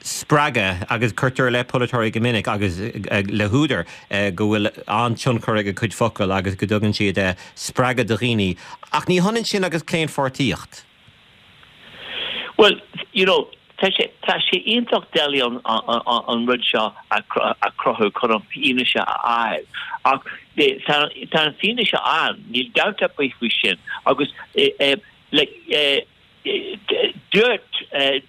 spreagadh, agus cuirtear i leith polaiteoirí go minic, agus le húdar, go bhfuil an-tionchar ag a gcuid focal agus go dtugann siad spreagadh do dhaoine, ach ní hionann sin agus claonpháirtíocht. Bhuel, you know, tá sé, tá sé iontach doiligh an, an rud seo a chruthú chun an fianaise a fháil, ach tá, tá an fianaise ann, níl dabht ar bith faoi sin, agus like, Dúirt,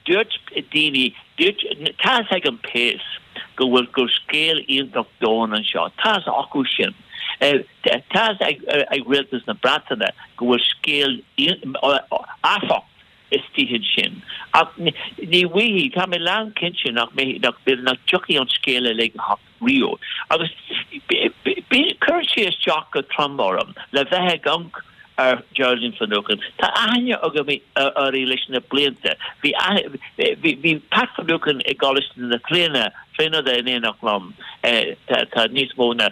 dúirt daoine, dúirt, tá fhios ag an péas go bhfuil, go scéal iontach domhain anseo, tá fhios acu sin. Tá a fhios ag rialtas na Breataine go bhfuil scéal uafásach istigh ansin. Ach ní bhfaighidh, tá mé lánchinnte nach mbeidh, nach dtiocfaidh an scéal uilig amach riamh. Agus cuireann sé isteach go trom orm le bheith ag amharc ar Geraldine Finucane. Tá aithne agam uirthi leis na blianta. Bhí bhí Pat Finucane i gColáiste na Tríonóide in éineacht liom tá níos mó ná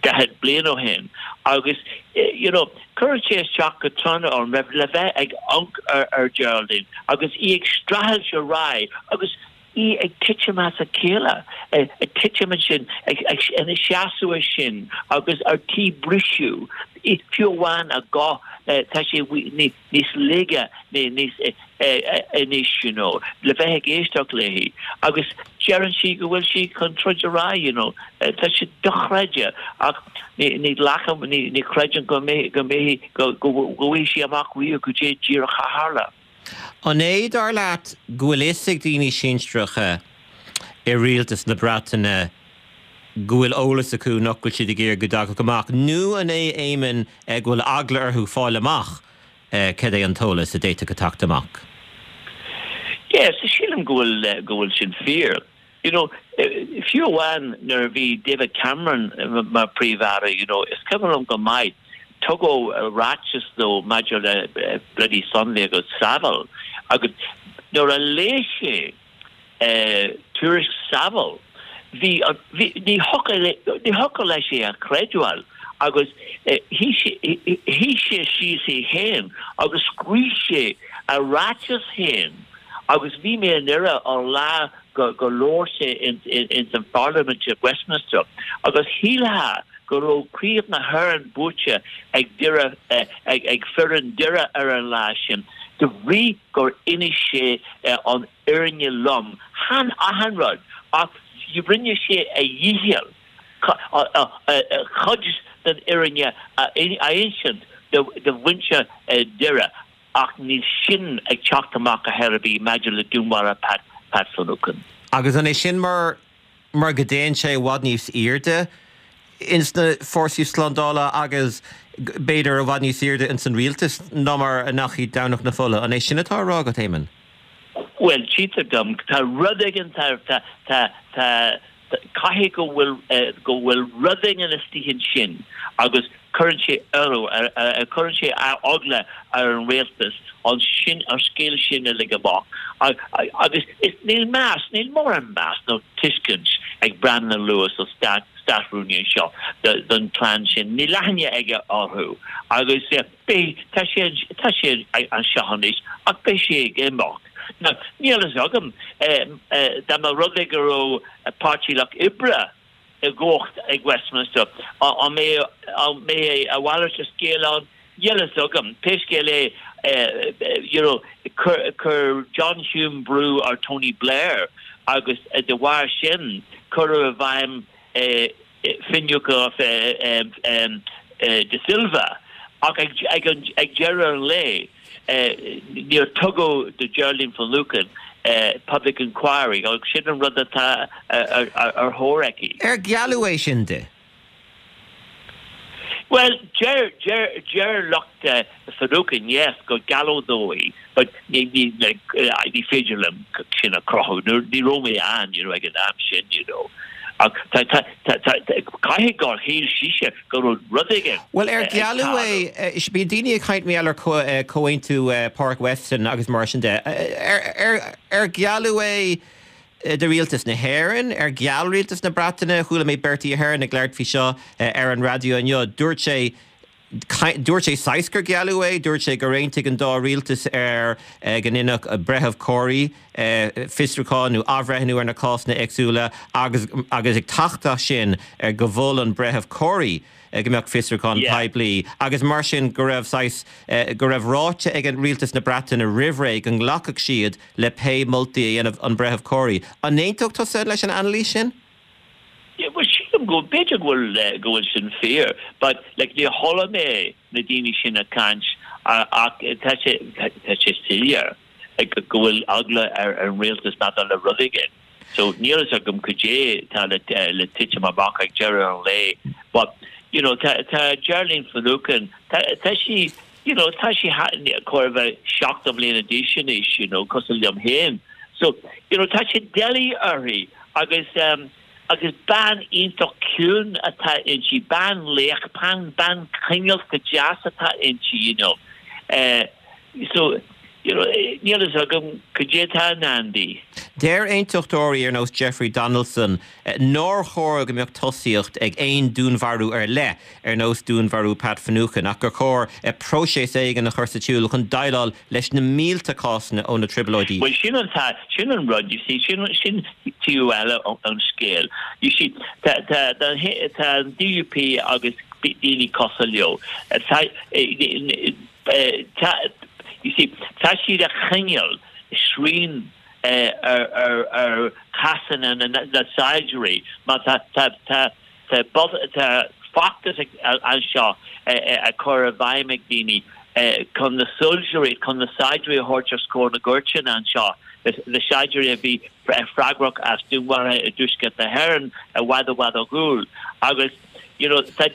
40 bliain ó shin agus you know cuireann sé isteach go trom orm le bheith ag amharc ar Geraldine agus í ag streachailt ar aghaidh agus í ag titim as a chéile, ag titim ansin, ina seasamh ansin agus ar tí briseadh, fiú amháin a guth, tá sé níos laige níos anois, you know, le bheith ag éisteacht léi agus deireann sí go bhfuil sí chun troid ar aghaidh, you know, tá sé dochreidte ach ní ghlacaim, ní chreidim go mbeidh, go mbeidh, go bhfaighidh sí amach riamh goidé díreach a tharla. An é, dar leat, go bhfuil fhios ag daoine sinsearacha i rialtas na Breataine go bhfuil eolas acu nach bhfuil siad ag iarraidh go dtagadh amach, nó an é, Éamonn, go bhfuil eagla orthu fáil amach cad é an t-eolas a d'fhéadfadh a theacht amach? Yes, sílim go bhfuil, go bhfuil sin fíor. You know, fiú amháin nuair a bhí David Cameron mar Príomh-Aire, you know, is cuimhin liom go maith, tugadh ráiteas dó maidir le Bloody Sunday agus Saville agus nuair a léigh sé tuairisc Saville, bhí, bhí, ní thiocfadh, ní thiocfadh leis é a chreidbheáil agus shuigh sé síos é féin agus scríobh sé a ráiteas féin agus bhí mé i nDoire an lá go labhair sé ins an Pharlaimint i Westminster agus shílfeá go raibh Craobh na hÉireann buaite ag Doire ag foireann Doire ar an lá sin de bhrí gur inis sé an fhírinne lom, chan achan rud ach rinne sé a dhícheall cuid den fhírinne a insint do mhuintir Doire. Ach níl sin ag teacht amach ar chor ar bith maidir le dúnmharú Pat Pat Finucane. Agus an é sin mar mar go dtéann sé i bhfad níos airde ins na fórsaí slándála agus b'fhéidir i bhfad níos airde ins an rialtas ná mar a ndeachaigh Domhnach na Fola? An é sin atá á rá agat, Éamonn? Bhuel, tchítear dom, tá rud éigin, tá, tá, tá, tá, Caithfidh go bhfuil go bhfuil rud éigin istigh ansin agus cuireann sé orthu, cuireann sé eagla ar an rialtas an sin an scéal sin uilig amach. Agus is níl meas, níl mórán meas nó tuiscint ag Brandon Lewis an Stát Státrúnaí anseo don chlann sin. Níl aithne aige orthu agus beidh, tá sé, tá sé anseo anois ach beidh sé ag imeacht. Now, níl a fhios agam, dá mba rud é go raibh Páirtí Lucht Oibre i gcumhacht ag Westminster, an mbeadh a mhalairt de scéal ann? Níl a fhios agam. Pé scéal é, you know, chuir John Hume brú ar Tony Blair agus de bharr sin cuireadh i bhfeidhm Finucane De Silva ach ag deireadh an lae níor tugadh do Geraldine Finucane public inquiry agus sin an rud atá ar thóir aici. Ar gealladh é sin di? Bhuel, deir, deir, deir lucht Finucane, yes, go gealladh dó í, but ní, ní, like, ní féidir liom sin a chruthú. Ní raibh mé ann, you know, ag an am sin, you know. Ach tá, tá, tá, tá, caithfidh gur shíl sise go raibh rud éigin Bhuel, ar gealladh é, bíonn daoine ag caint mar gheall ar Comhaontú Páirc Weston agus mar sin de. Ar, ar, ar gealladh é do rialtas na hÉireann, ar gheall rialtas na Breataine, chuala mé Bertie Ahern ag labhairt faoi seo ar an raidió inniu, dúirt sé, dúirt sé saghas gur gealladh é, dúirt sé gur aontaigh an dá rialtas ar go ndéanfadh Breitheamh Corry fiosrúchán nó athbhreithniú ar na cásanna éagsúla agus agus ag teacht as sin go mhol an Breitheamh Corry go mbeadh fiosrúchán poiblí agus mar sin go raibh saghas, go raibh ráite ag rialtas na Breataine roimh ré go nglacfadh siad le pé moltaí a dhéanfadh an Breitheamh Corry. An aontódh tusa leis an anailís sin? Yeah, well sílim go, b'fhéidir go bhfuil, go bhfuil sin fíor, but like níor chuala mé na daoine sin ag caint ach tá sé, tá sé soiléir go bhfuil eagla ar an rialtas maidir le rud éigin. So níl a fhios agam cad é tá le, le titim amach ag deireadh an lae. But, you know, tá tá Geraldine Finucane, tá tá sí, you know, tá sí chóir a bheith 70 mbliana d'aois anois, you know, cosúil liom féin. So, you know, tá sé doiligh uirthi agus um, agus bean iontach ciúin atá inti, bean laoch, bean, bean cineálta deas atá inti, you know. Uh, so, you know, níl fhios agam cad é atá i ndán di. Deir aontachtóirí ar nós Jeffrey Donaldson nár chóir go mbeadh tosaíocht ag aon dúnmharú ar leith, ar nós dúnmharú Pat Finucane, ach gur chóir próiseas éigin a chur sa tsiúl chun déileáil leis na mílte cásanna ó na Trioblóidí. Bhuel, sin an, sin an rud, you see, sin, sin taobh eile an scéil. You see, tá, tá, tá an DUP agus daoine cosúil leo, tá, tá, you see, tá siad ag coinneáil srian ar, ar, ar chásanna na, na saighdiúirí mar tá, tá, tá, tá, tá feachtas anseo á chur i bhfeidhm ag daoine chun na soilsirí, chun na saighdiúirí a thabhairt os comhair na gcúirteanna anseo, na saighdiúirí a bhí freagrach as dúnmharuithe i dTuaisceart na hÉireann i bhfad i bhfad ó dhúil. Agus you know tá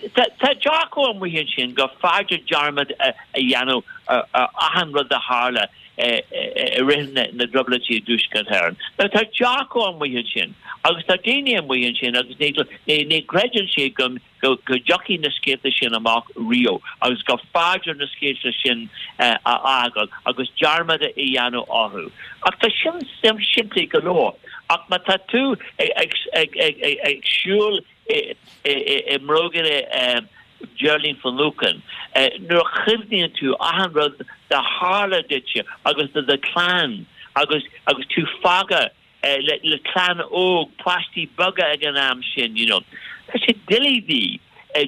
dearcadh amuigh ansin gur fearrde dearmad a dhéanamh ar achan rud a tharla i rith na dTrioblóidí i dTuaisceart Éireann. Now tá dearcadh amuigh ansin agus tá daoine amuigh ansin agus ní chreideann siad go go dtiocfaidh na scéalta sin amach riamh agus gur fearrde na scéalta sin a fhágáil agus dearmad a dhéanamh orthu. Ach tá sin simplí go leor. Ach má tá tú ag siúl i mbróga Geraldine Finucane, nuair a chuimhníonn tú achan rud a tharla duitse agus do do chlann agus agus tú fágtha le clann óg, páistí beaga ag an am sin, you know. Tá sé doiligh di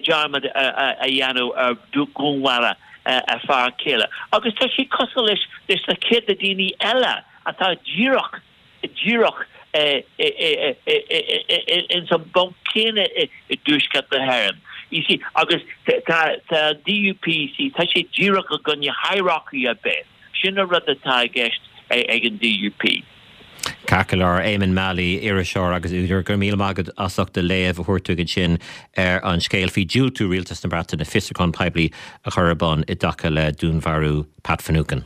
dearmad a dhéanamh ar dhúnmharú a fear céile. Agus tá sí cosúil leis leis na céadta daoine eile atá díreach díreach ins an bponc céanna i dTuaisceart na hÉireann. You see, agus tá an DUP, see, tá sé díreach i gcoinne hierarchy ar bith. Sin an rud atá i gceist ag an DUP. Ceart go leor, Éamonn Mallie, iriseoir agus údar, go raibh míle maith agat as ucht do léamh a thabhairt dúinn ansin ar an scéal faoi dhiúltú Rialtas na Breataine fiosrúchán poiblí a chur ar bun i dtaca le dúnmharú Pat Finucane.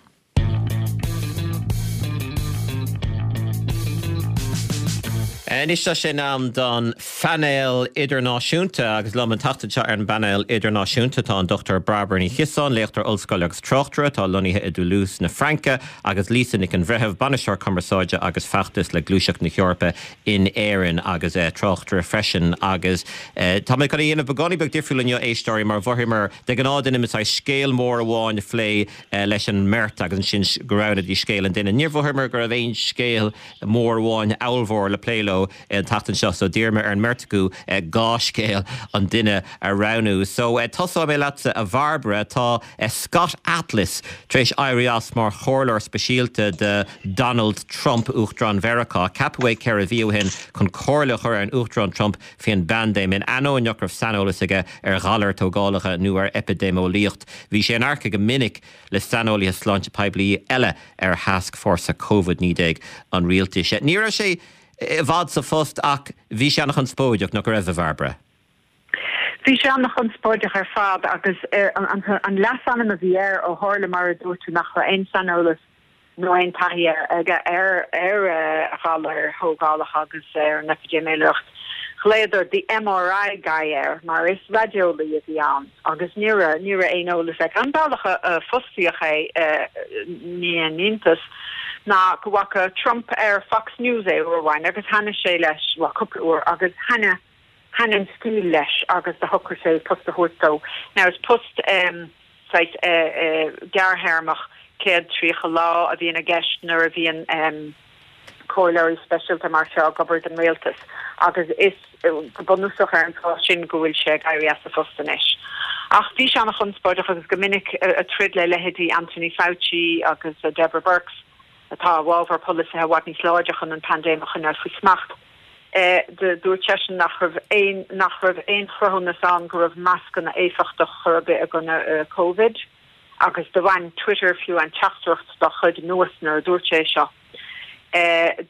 Anois tá sé in am don phainéal idirnáisiúnta agus liom an tseachtain seo ar an bpainéal idirnáisiúnta tá an Dr Bairbre Ní Chiosáin, léachtóir ollscoile agus tráchtaire atá lonnaithe i dToulouse na Fraince agus Lisa Nic an Bhreithimh, bainisteoir cumarsáide agus feachtais le Gluaiseacht na hEorpa in Éirinn agus tráchtaire freisin agus tá mé chun a dhéanamh beagáinín beag difriúil inniu éisteoirí mar mhothaíomar de ghnáth déanaimid saghas scéal mór amháin a phlé leis an mbeirt agus ansin go roghnóidís scéal an duine. Níor mhothaíomar go raibh aon scéal mór amháin ollmhór le plé leo an tseachtain seo so d'iarr mé ar an mbeirt acu 2 scéal an duine a roghnú. So tosóidh mé leatsa a Bhairbre. Tá Scott Atlas tar éis éirí as mar chomhairleoir speisialta do Donald Trump, Uachtarán Mheiriceá. Ceapadh é 4 mhí ó shin chun comhairle a chur ar an Uachtarán Trump faoin bpaindéim, in ainneoin nach raibh saineolas aige ar ghalair tógálacha nó ar eipidéimeolaíocht. Bhí sé in adharca go minic le saineolaithe sláinte poiblí eile ar thascfhórsa Covid-19 an rialtais. Ní raibh sé i bhfad sa phost ach bhí sé an-chonspóideach, nach raibh, a Bhairbre? Bhí sé an-chonspóideach ar fad agus an leasainm a bhí air ó tharla, mar a dúirt tú, nach raibh aon saineolas nó aon taithí aige ar ghalair thógálacha agus ar an eipidéimeolaíocht. Ghlaodar 'the MRI guy' air mar is raideolaí a bhí ann agus ní raibh ní raibh aon eolas aige. An bealach a fostaíodh é, ní haon iontas, ná go bhfaca Trump ar Fox News é uair amháin agus thaitnigh sé leis, bhuel cúpla uair, agus thaitnigh thaitnigh an stíl leis agus do shocraigh sé post a thabhairt dó. Now is post saghas gearrthéarmach, 130 lá, a bhíonn i gceist nuair a bhíonn comhairleoirí speisialta mar seo ag obair don rialtas agus is go bunúsach ar an bhfáth sin go bhfuil sé ag éirí as a phost anois. Ach bhí sé an-chonspóideach agus go minic ag troid le leithéidí Anthony Fauci agus Deborah Birx atá i bhfabhar polasaithe i bhfad níos láidre chun an paindéim a choinneáil faoi smacht. Dúirt seisean nach raibh aon nach raibh aon chruthúnas ann go raibh mascanna éifeachtach chor ar bith i gcoinne Covid agus do bhain Twitter fiú an teachtaireacht dá chuid anuas nuair a dúirt sé seo.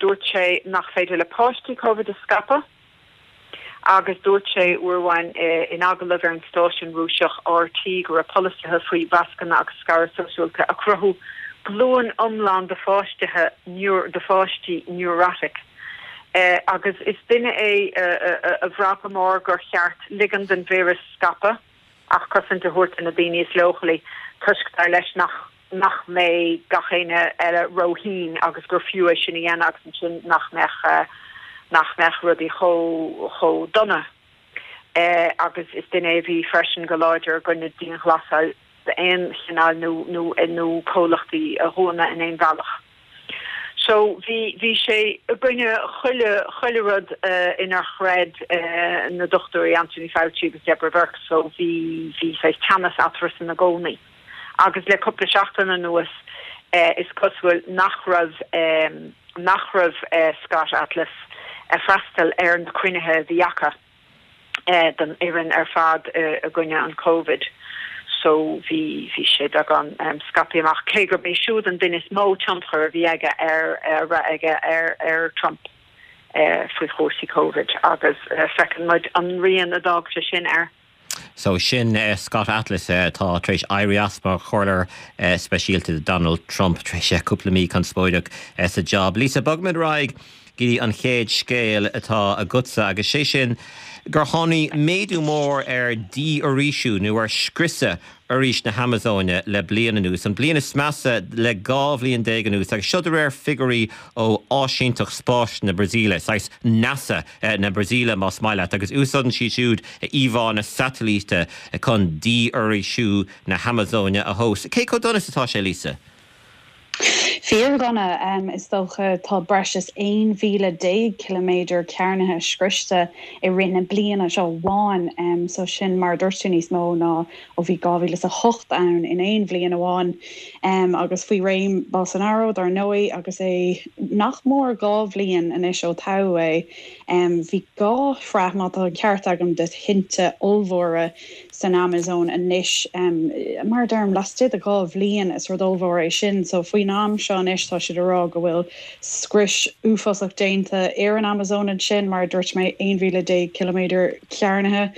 Dúirt sé nach féidir le páistí Covid a scaipeadh. Agus dúirt sé uair amháin in agallamh ar an stáisiún Rúiseach RT go raibh polasaithe faoi mhascanna agus scaradh sóisialta ag cruthú glúin iomlán de pháistithe de pháistí neurotic. Agus is duine é a bhraith go mór gur cheart ligean don víreas scaipeadh ach cosaint a thabhairt do na daoine is leochailí toisc, dar leis, nach nach mbeidh gach éinne eile róthinn agus gur fiú é sin a dhéanamh agus ansin nach mbeadh nach mbeadh rudaí chomh chomh dona. Agus is duine é a bhí freisin go láidir i gcoinne dianghlasáil d'aon chineál nó nó nó comhlachtaí a dhúnadh in aon bhealach. So bhí bhí sé i gcoinne chuile chuile rud inar chreid na dochtúirí Anthony Fauci agus Deborah Birx so bhí bhí saghas teannas eatarthusan i gcónaí. Agus le cúpla seachtain anuas is cosúil nach raibh nach raibh Scott Atlas ag freastal ar na cruinnithe a bhí acu don fhoireann ar fad i gcoinne an Covid. So bhí bhí sé beagán scaipthe amach, cé gurb é siúd an duine is mó tionchar a bhí aige ar a raibh aige ar ar Trump faoi chúrsaí Covid agus feiceann muid an rian a d'fhág sé sin air. So sin Scott Atlas atá tar éis éirí as mar chomhairleoir speisialta do Donald Trump tar éis cúpla mí conspóideach sa job. Lisa, bogfaimid ar aghaidh go dtí an chéad scéal atá agatsa agus sé sin gur tháinig méadú mór ar dhífhoraoisiú nó ar scriosadh fhoraois na hAmazóine le bliain anuas, an bliain is measa le 12 bhliain anuas agus seo de réir figiúirí ó Áisínteacht Spáis na Brasaíle, saghas NASA na Brasaíle más maith leat, agus úsáideann siad siúd íomhánna satailíte chun dífhoraoisiú na hAmazóine a thomhas. Cé chomh dona is atá sé, Lisa? Fíordhona, is dócha. Tá breis is 11 mhíle ciliméadar cearnaithe scriosta i rith na bliana seo amháin, so sin, mar a dúirt tú, níos mó ná ó bhí 2008 ann in aon bhliain amháin. Agus faoi réim Bolsonaro, dar ndóigh, agus é nach mór 2 bhliain anois ó toghadh é, bhí 2 shraith, má tá an ceart agam, de thinte ollmhóra san Amazóin anois. Mar a deirim, laistigh de 2 bhliain, is rud ollmhór é sin. So faoin am seo anois tá siad ag rá go bhfuil scrios uafásach déanta ar an Amazóin ansin, mar a dúirt mé, 11 mhíle ciliméadar cearnaithe.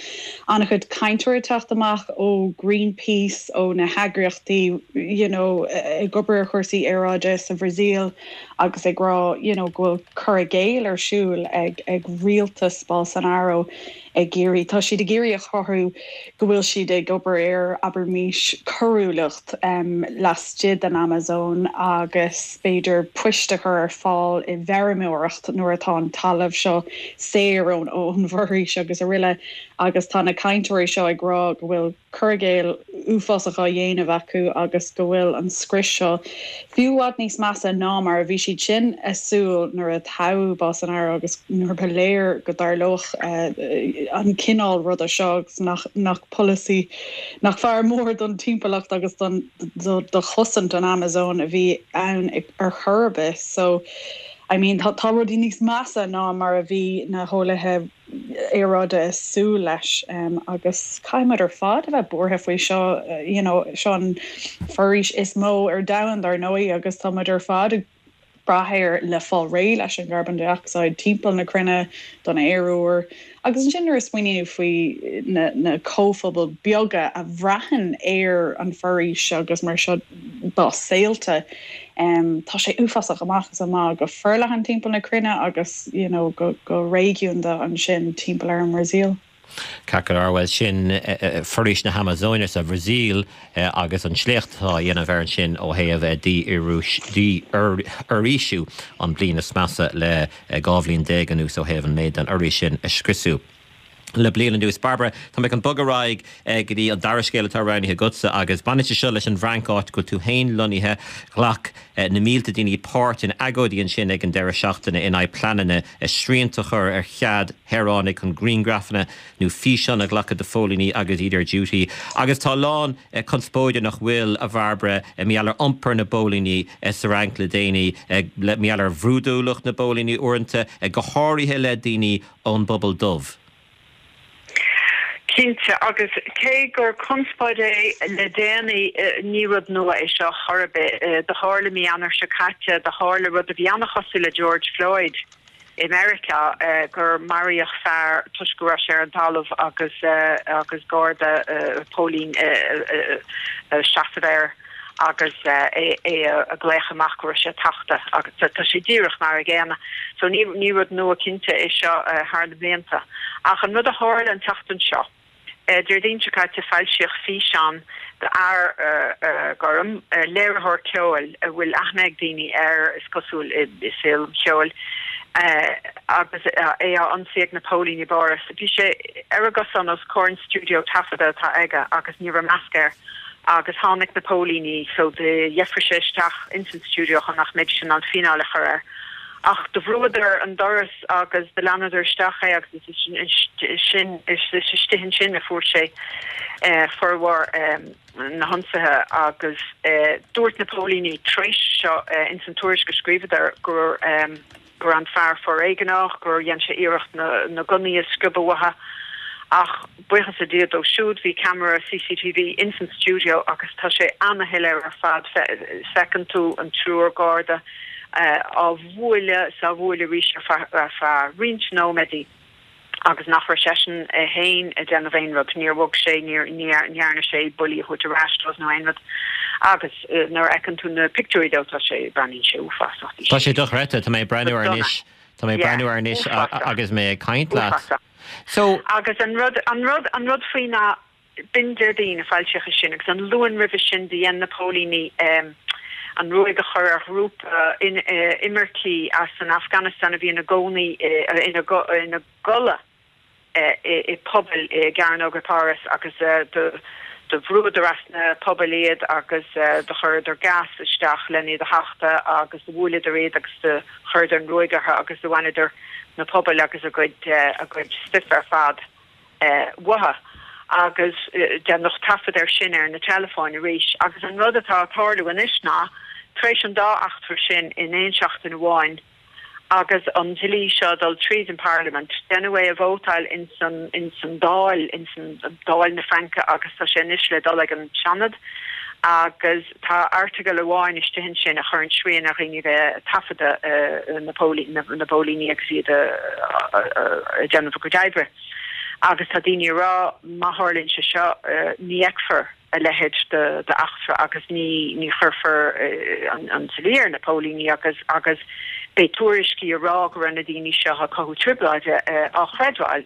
An-chuid cainteoirí ag teacht amach ó Greenpeace, ó na heagraíochtaí you know ag obair ar chúrsaí aeráide sa Bhrasaíl agus ag rá you know go bhfuil cur i gcéill ar siúl ag ag rialtas Bolsonaro ag iarraidh, tá siad ag iarraidh a chruthú go bhfuil siad ag obair ar, abraimis, coiriúlacht laistigh den Amazóin agus b'fhéidir poist a chur ar fáil i bhfeirmeoireacht nuair atá an talamh seo saor ón bhforaois agus araile agus tá na cainteoirí seo ag rá go bhfuil cur i gcéill uafásach á dhéanamh acu agus go bhfuil an scrios seo fiú i bhfad níos measa ná mar a bhí siad sin ag súil nuair a toghadh Bolsonaro agus nuair ba léir go dtarlódh an cineál ruda seo agus nach nach polasaí nach fear mór don timpeallacht agus don do chosaint an Amazóin a bhí ann ar chor ar bith. So I mean tá tá rudaí níos measa ná mar a bhí na heolaithe aeráide ag súil leis agus caithfidh muid ar fad a bheith buartha faoi seo, you know, seo an foraois is mó ar domhan dar ndóigh agus tá muid ar fad ag brath air le fáil réidh leis an gcarbón dé-ocsaíd timpeall na cruinne don aer úr. Agus ansin nuair a smaoiníonn tú faoi na na comhphobail beaga a bhraitheann ar an foraois agus mar seo dá saolta, Tá sé uafásach amach is amach go forleathan timpeall na cruinne agus you know go go réigiúnda ansin timpeall ar an mBrasaíl. Ceart go leor, bhuel sin foraois na hAmazóine sa Bhrasaíl agus an sléacht atá á dhéanamh air ansin ó thaobh dífhoraoisiú an bliain is measa le 12 bhliain anuas ó thaobh an méid den fhoraois sin a scriosadh. le bliain anuas. Bairbre, tá mé chun bogadh ar aghaidh go dtí an dara scéal atá roghnaithe agatsa agus baineann sé seo leis an bhFrainc, áit go bhfuil tú féin lonnaithe. Ghlac na mílte daoine páirt in agóidí ansin ag an deireadh seachtaine in aghaidh pleananna srianta a chur ar chead shaoránaigh chun grianghrafanna nó físeáin a ghlacadh de phóilíní agus iad ar duty. Agus tá a lán conspóide, nach bhfuil, a Bhairbre, mar gheall ar iompar na bpóilíní sa Fhrainc le déanaí, mar gheall ar bhrúidiúlacht na bpóilíní uaireanta, go háirithe le daoine ón bpobal dubh. Cinnte, agus cé gur conspóid é le déanaí, ní rud nua é seo chor ar bith. Do tharla mí Eanáir seo caite, do tharla rud a bhí an-chosúil le George Floyd. i Meiriceá gur maraíodh fear toisc go raibh sé ar an talamh agus agus garda, póilín ag seasamh air agus é ag glaoch amach go raibh sé tachta agus tá sé díreach mar a gcéanna. So ní ní rud nua cinnte é seo thar na blianta. Ach an rud a tharla an tseachtain seo, Déardaoin seo caite foilsíodh físeán d'fhear gorm, léiritheoir ceoil a bhfuil aithne ag daoine air, is cosúil, i saol an cheoil, agus é á ionsaí ag na póilíní i bPáras. Bhí sé ar an gcosán os comhair an stiúideo taifeadta atá aige agus ní raibh masc air agus tháinig na póilíní so dheifrigh sé isteach ins an stiúideo chun nach mbeidís in ann fíneáil a chur air. Ach do bhrúadar an doras agus do leanadar isteach é agus is sin is istigh ansin a fuair sé formhór na hionsaithe agus dúirt na póilíní tar éis seo ins an tuairisc a scríobhadar gur go raibh an fear foréigneach, gur dhein sé iarracht na gunnaí a sciobadh uathu ach buíochas le Dia dó siúd bhí ceamara CCTV ins an stiúideo agus tá sé ana-shoiléir ar fad, feiceann tú an triúr garda á bhualadh is á bhualadh arís ar feadh roinnt nóiméadaí agus nach raibh seisean é féin ag déanamh aon rud, níor bhog sé, ní dhearna sé buillí a thabhairt ar ais dóibh nó aon rud. Agus nuair a fheiceann tú na pictiúirí dó, tá sé, breathnaíonn sé uafásach. Tá sé dochreidte, tá mé ag breathnú air anois, tá mé ag breathnú air anois agus mé ag caint leat. So. Agus an rud, an rud, an rud faoi ná B'in Déardaoin a foilsíodh é sin agus an Luan roimhe sin do dhein na póilíní an ruaig a chur ar ghrúpa imircí as an Afganastáin a bhí ina gcónaí ina gcodladh i pubaill i gcearnóga Pháras agus do bhrúadar as na pubaill iad agus do chuireadar gas isteach len iad a thachtadh agus do bhuaileadar iad agus do chuireadar an ruaig orthu agus do bhaineadar na pubaill agus a gcuid a gcuid stuif ar fad. uathu agus déanadh taifead air sin ar na teileafóin arís. Agus an rud atá ag tarlú anois ná, tar éis an dá eachtra sin in aon seachtain amháin agus an dlí seo ag dul tríd an bParlaimint, deineadh é a vótáil ins an ins an Dáil, ins an Dáil na Fraince agus tá sé anois le dul ag an Seanad agus tá airteagal amháin istigh ansin a chuireann srian ar dhaoine bheith ag taifeadadh na póilíní agus iad ag déanamh a gcuid oibre. Agus tá daoine ag rá má tharlaíonn sé seo ní fheicfear a leithéid d'eachtra agus ní chuirfear an dlí ar na póilíní agus agus beidh tuairiscí ag rá go raibh na daoine seo ag cothú trioblóide á chreidbheáil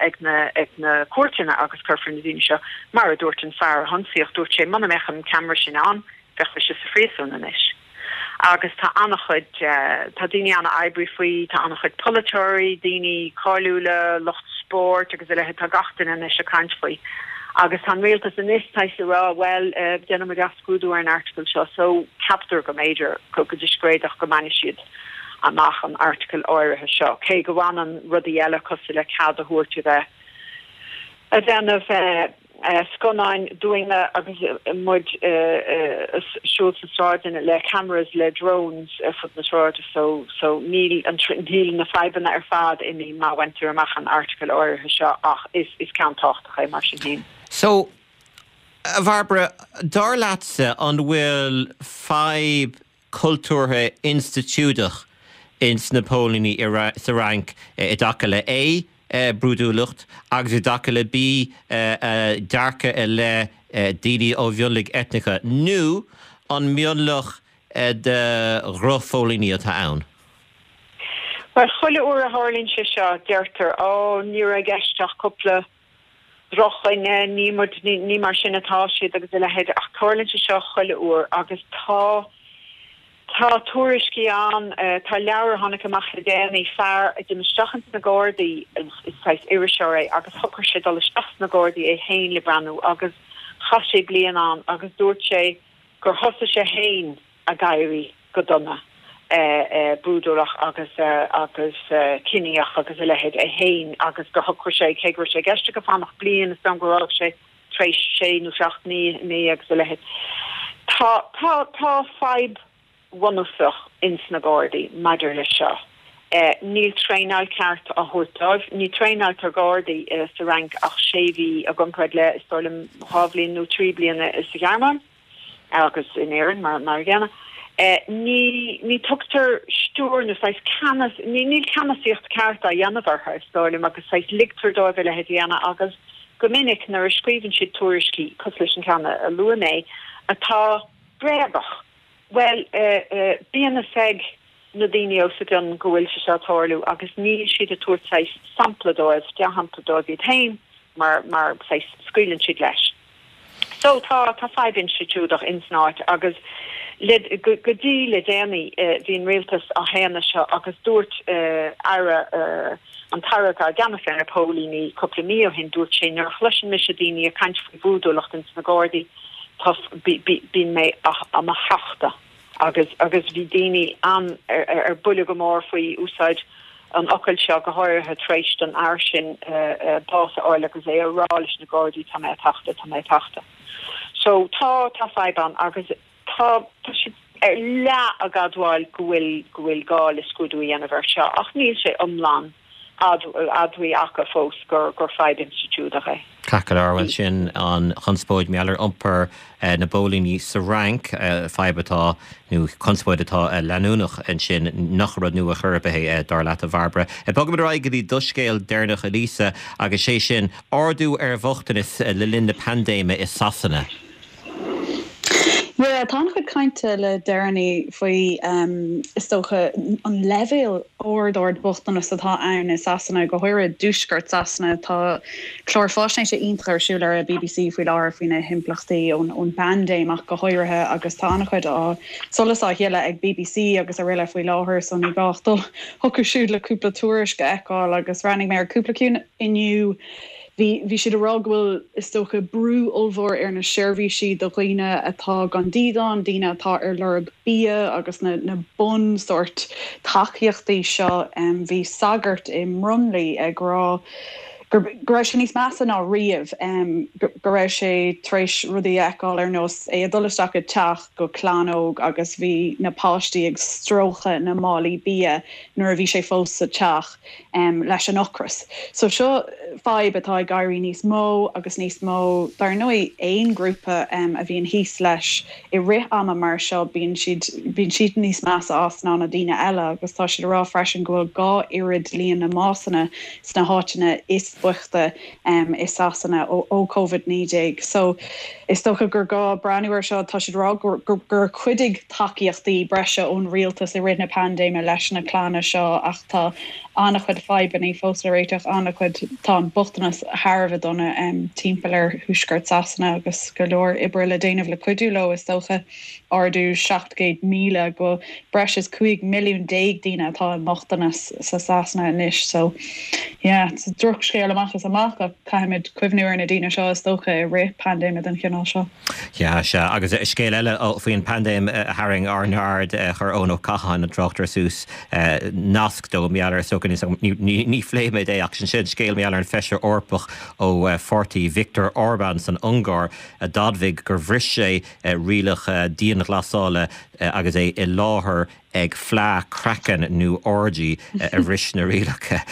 ag na cúirteanna agus cuirfear na daoine seo Mar a dúirt an fear a hionsaíodh, dúirt sé, muna mbeadh an ceamara sin ann, bheadh mise sa phríosún anois. Agus tá an-chuid, tá daoine an-oibrithe faoi, tá an-chuid polaiteoirí, daoine cáiliúla, lucht spóirt agus a leithéid, tá gach duine anois ag caint faoi. Agus tá an rialtas anois saghas ag rá, bhuel, déanfaidh muid athscrúdú ar an airteagal seo, so ceaptar go mb'fhéidir, go discréideach go mbainfidh siad amach an airteagal áirithe seo, cé go bhfanann rudaí eile cosúil le cead a thabhairt a bheith ag déanamh scannáin dúinne agus muid ag siúl sna sráideanna le cameras, le drones ar fud na sráide so so níl an níl na fadhbanna ar fad imithe má bhaintear amach an airteagal áirithe seo ach is is ceann tábhachtach é mar sin féin. So, a Bhairbre, dar leatsa an bhfuil fadhb cultúrtha institiúideach ins na póilíní sa Fhrainc i dtaca le A, brúidiúlacht agus i dtaca le B, dearcadh i leith daoine ó mhionlaigh eitneacha, nó an mionlach de dhrochphóilíní atá ann? Bhuel, chuile uair a tharlaíonn sé seo, deirtear, Ó, ní raibh i gceist ach cúpla drochdhuine, ní muid, ní mar sin atá siad agus a leithéid, ach tarlaíonn sé seo chuile uair agus tá, tá tuairiscí ann, tá leabhar a tháinig amach le déanaí, fear a d'imigh isteach ins na Gardaí, is saghas iriseoir é, agus shocraigh sé dul isteach sna Gardaí é féin le breathnú agus chaith sé bliain ann agus dúirt sé gur thosaigh sé féin ag éirí go dona, brúidiúlach agus agus ciníoch agus a leithéid é féin agus gur shocraigh sé, cé go raibh sé i gceist aige fanacht bliain, is dóigh gur fhág sé tar éis sé nó seacht mí agus a leithéid. Tá, tá, tá fadhb bhunúsach ins na Gardaí maidir leis seo. Níl traenáil ceart á thabhairt dóibh. Ní traenáiltear Gardaí sa Fhrainc ach sé mhí i gcomparáid le, is dóigh liom, dhá bhliain nó trí bliana sa Ghearmáin. agus in Éirinn mar a gcéanna. Ní, ní tugtar stiúir nó saghas ceannas, ní, níl ceannasaíocht ceart á dhéanamh orthu, is dóigh liom, agus saghas ligtear dóibh a leithéid a dhéanamh agus go minic nuair a scríobhann siad tuairiscí, cosúil leis an ceann a luaigh mé, atá bréagach, bhuel, bíonn fhios ag na daoine os a gcionn go bhfuil sé seo ag tarlú agus níl siad ag tabhairt saghas sampla dóibh, dea-shampla dóibh iad féin mar, mar saghas scaoileann siad leis. So tá, tá fadhb institiúideach ins an áit agus le, go, go dtí le déanaí bhí an rialtas á shéanadh seo agus dúirt Aire, an tAire atá i gceannas ar na póilíní cúpla mí ó shin, dúirt sé nuair a chloiseann mise daoine ag caint faoi bhrúidiúlacht ins na Gardaí, tá, bí, bí, bíonn mé á mo thachtadh. Agus agus bhí daoine an ar buile go mór faoi úsáid an fhocail seo, go háirithe tar éis don fhear sin bás a fháil agus é a rá leis na Gardaí tá mé ag tachtadh, tá mé ag tachtadh. So tá, tá fadhb ann agus tá, tá siad ar leath ag admháil go bhfuil, go bhfuil gá le scrúdú a dhéanamh air seo ach níl sé iomlán admhaithe acu fós gur gur fadhb institiúideach é. Ceart go leor, bhuel sin an chonspóid mar gheall ar iompar na bpóilíní sa Fhrainc, fadhb atá, nó conspóid atá leanúnach ansin, nach rud nua chor ar bith é, dar leat, a Bhairbre. Bogfaimid ar aghaidh go dtí do scéal deireanach, a Lisa, agus sé sin, ardú ar bhochtanas le linn na paindéime i Sasana. Yeah, tá an-chuid cainte le deireanaí faoi, is dócha, an leibhéal ard ard bochtanas atá ann i Sasana, go háirithe i dtuaisceart Sasana. Tá clár faisnéise iontach ar siúl ar an bbc faoi láthair faoi na himpleachtaí ón bpaindéim ach go háirithe agus tá an-chuid á solas á shileadh ag bbc agus araile faoi láthair so ní gá ach dul chucu siúd le cúpla tuairisc a fheiceáil agus bhreathnaigh mé ar cúpla ceann inniu. Bhí, bhí siad ag rá go bhfuil, is dócha, brú ollmhór ar na seirbhísí do dhaoine atá gan dídean, daoine atá ar lorg bia agus na, na bun sórt tacaíochtaí seo. Bhí sagart i mBromley ag rá gur, go raibh sé níos measa ná riamh, go, go raibh sé tar éis rudaí a fheiceáil ar nós é ag dul isteach i dteach go clann óg agus bhí na páistí ag stróiceadh na málaí bia nuair a bhí sé fós sa teach. leis an ocras. So seo fadhb atá ag éirí níos mó agus níos mó. Dar ndóigh, aon grúpa a bhíonn thíos leis i rith ama mar seo, bíonn siad, bíonn siad níos measa as ná na daoine eile agus tá siad ag rá freisin go bhfuil 2 oiread líon na mbásanna sna háiteanna is boichte i Sasana ó Covid-19. So is dócha gur gá breathnú ar seo. Tá siad ag rá gur chuidigh tacaíochtaí breise ón rialtas i rith na paindéime leis na clanna seo ach tá an-chuid fadhbanna fós le réiteach, an-chuid, tá an bochtanas thar a bheith dona timpeall ar thuaisceart Sasana agus go leor oibre le déanamh le cuidiú leo is dócha. Ardú 700,000 go breis is 15 milliún daoine atá i mbochtanas sa Sasana anois so yeah it's drochscéal amach is amach ach caithfimid cuimhniú ar na daoine seo is dócha i rith paindéime den chineál seo. Yeah, sea. Agus scéal eile faoin bpaindéim a tharraing ár n-aird, chuir Eoin Ó Catháin, an tráchtaire suas nasc dó, mar gheall ar, is dócha, ní phléifimid é ach sin scéal mar gheall ar an Feisire Eorpach ó pháirtí Viktor Orbán san Ungáir a d'admhaigh gur bhris sé rialacha dianghlasála agus é i láthair ag fleá craicinn nó orgy a bhris na rialacha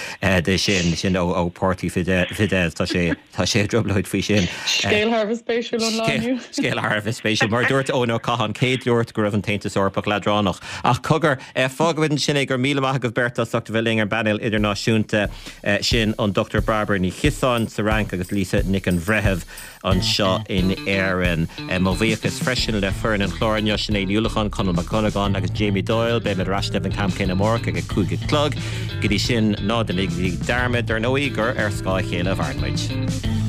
de sin, sin ó pháirtí Fidesz. Tá sé, tá sé i dtrioblóid faoi sin. Scéal thar a bheith spéisiúil ón lá inniu. Scéal thar a bheith spéisiúil. Mar a dúirt Eoin Ó Catháin, cé a dúirt go raibh an tAontas Eorpach leadránach? Ach cogar, fágfaimid ansin é. Go raibh míle maith agaibh beirt as ucht a bheith linn ar an bpainéal idirnáisiúnta sin, an Dr Bairbre Ní Chiosáin sa Fhrainc agus Lisa Nic an Bhreithimh. anseo in Éirinn. Mo bhuíochas freisin le foireann an chláir inniu, Sinéad Ní Uallacháin, Conall Mac Dhonnagáin agus Jamie Doyle. Beimid ar ais libh an t-am céanna amárach ag a 5 a chlog. Go dtí sin, ná déanaigí dearmad, dar ndóigh, gur ar scáth a chéile a mhaireann muid.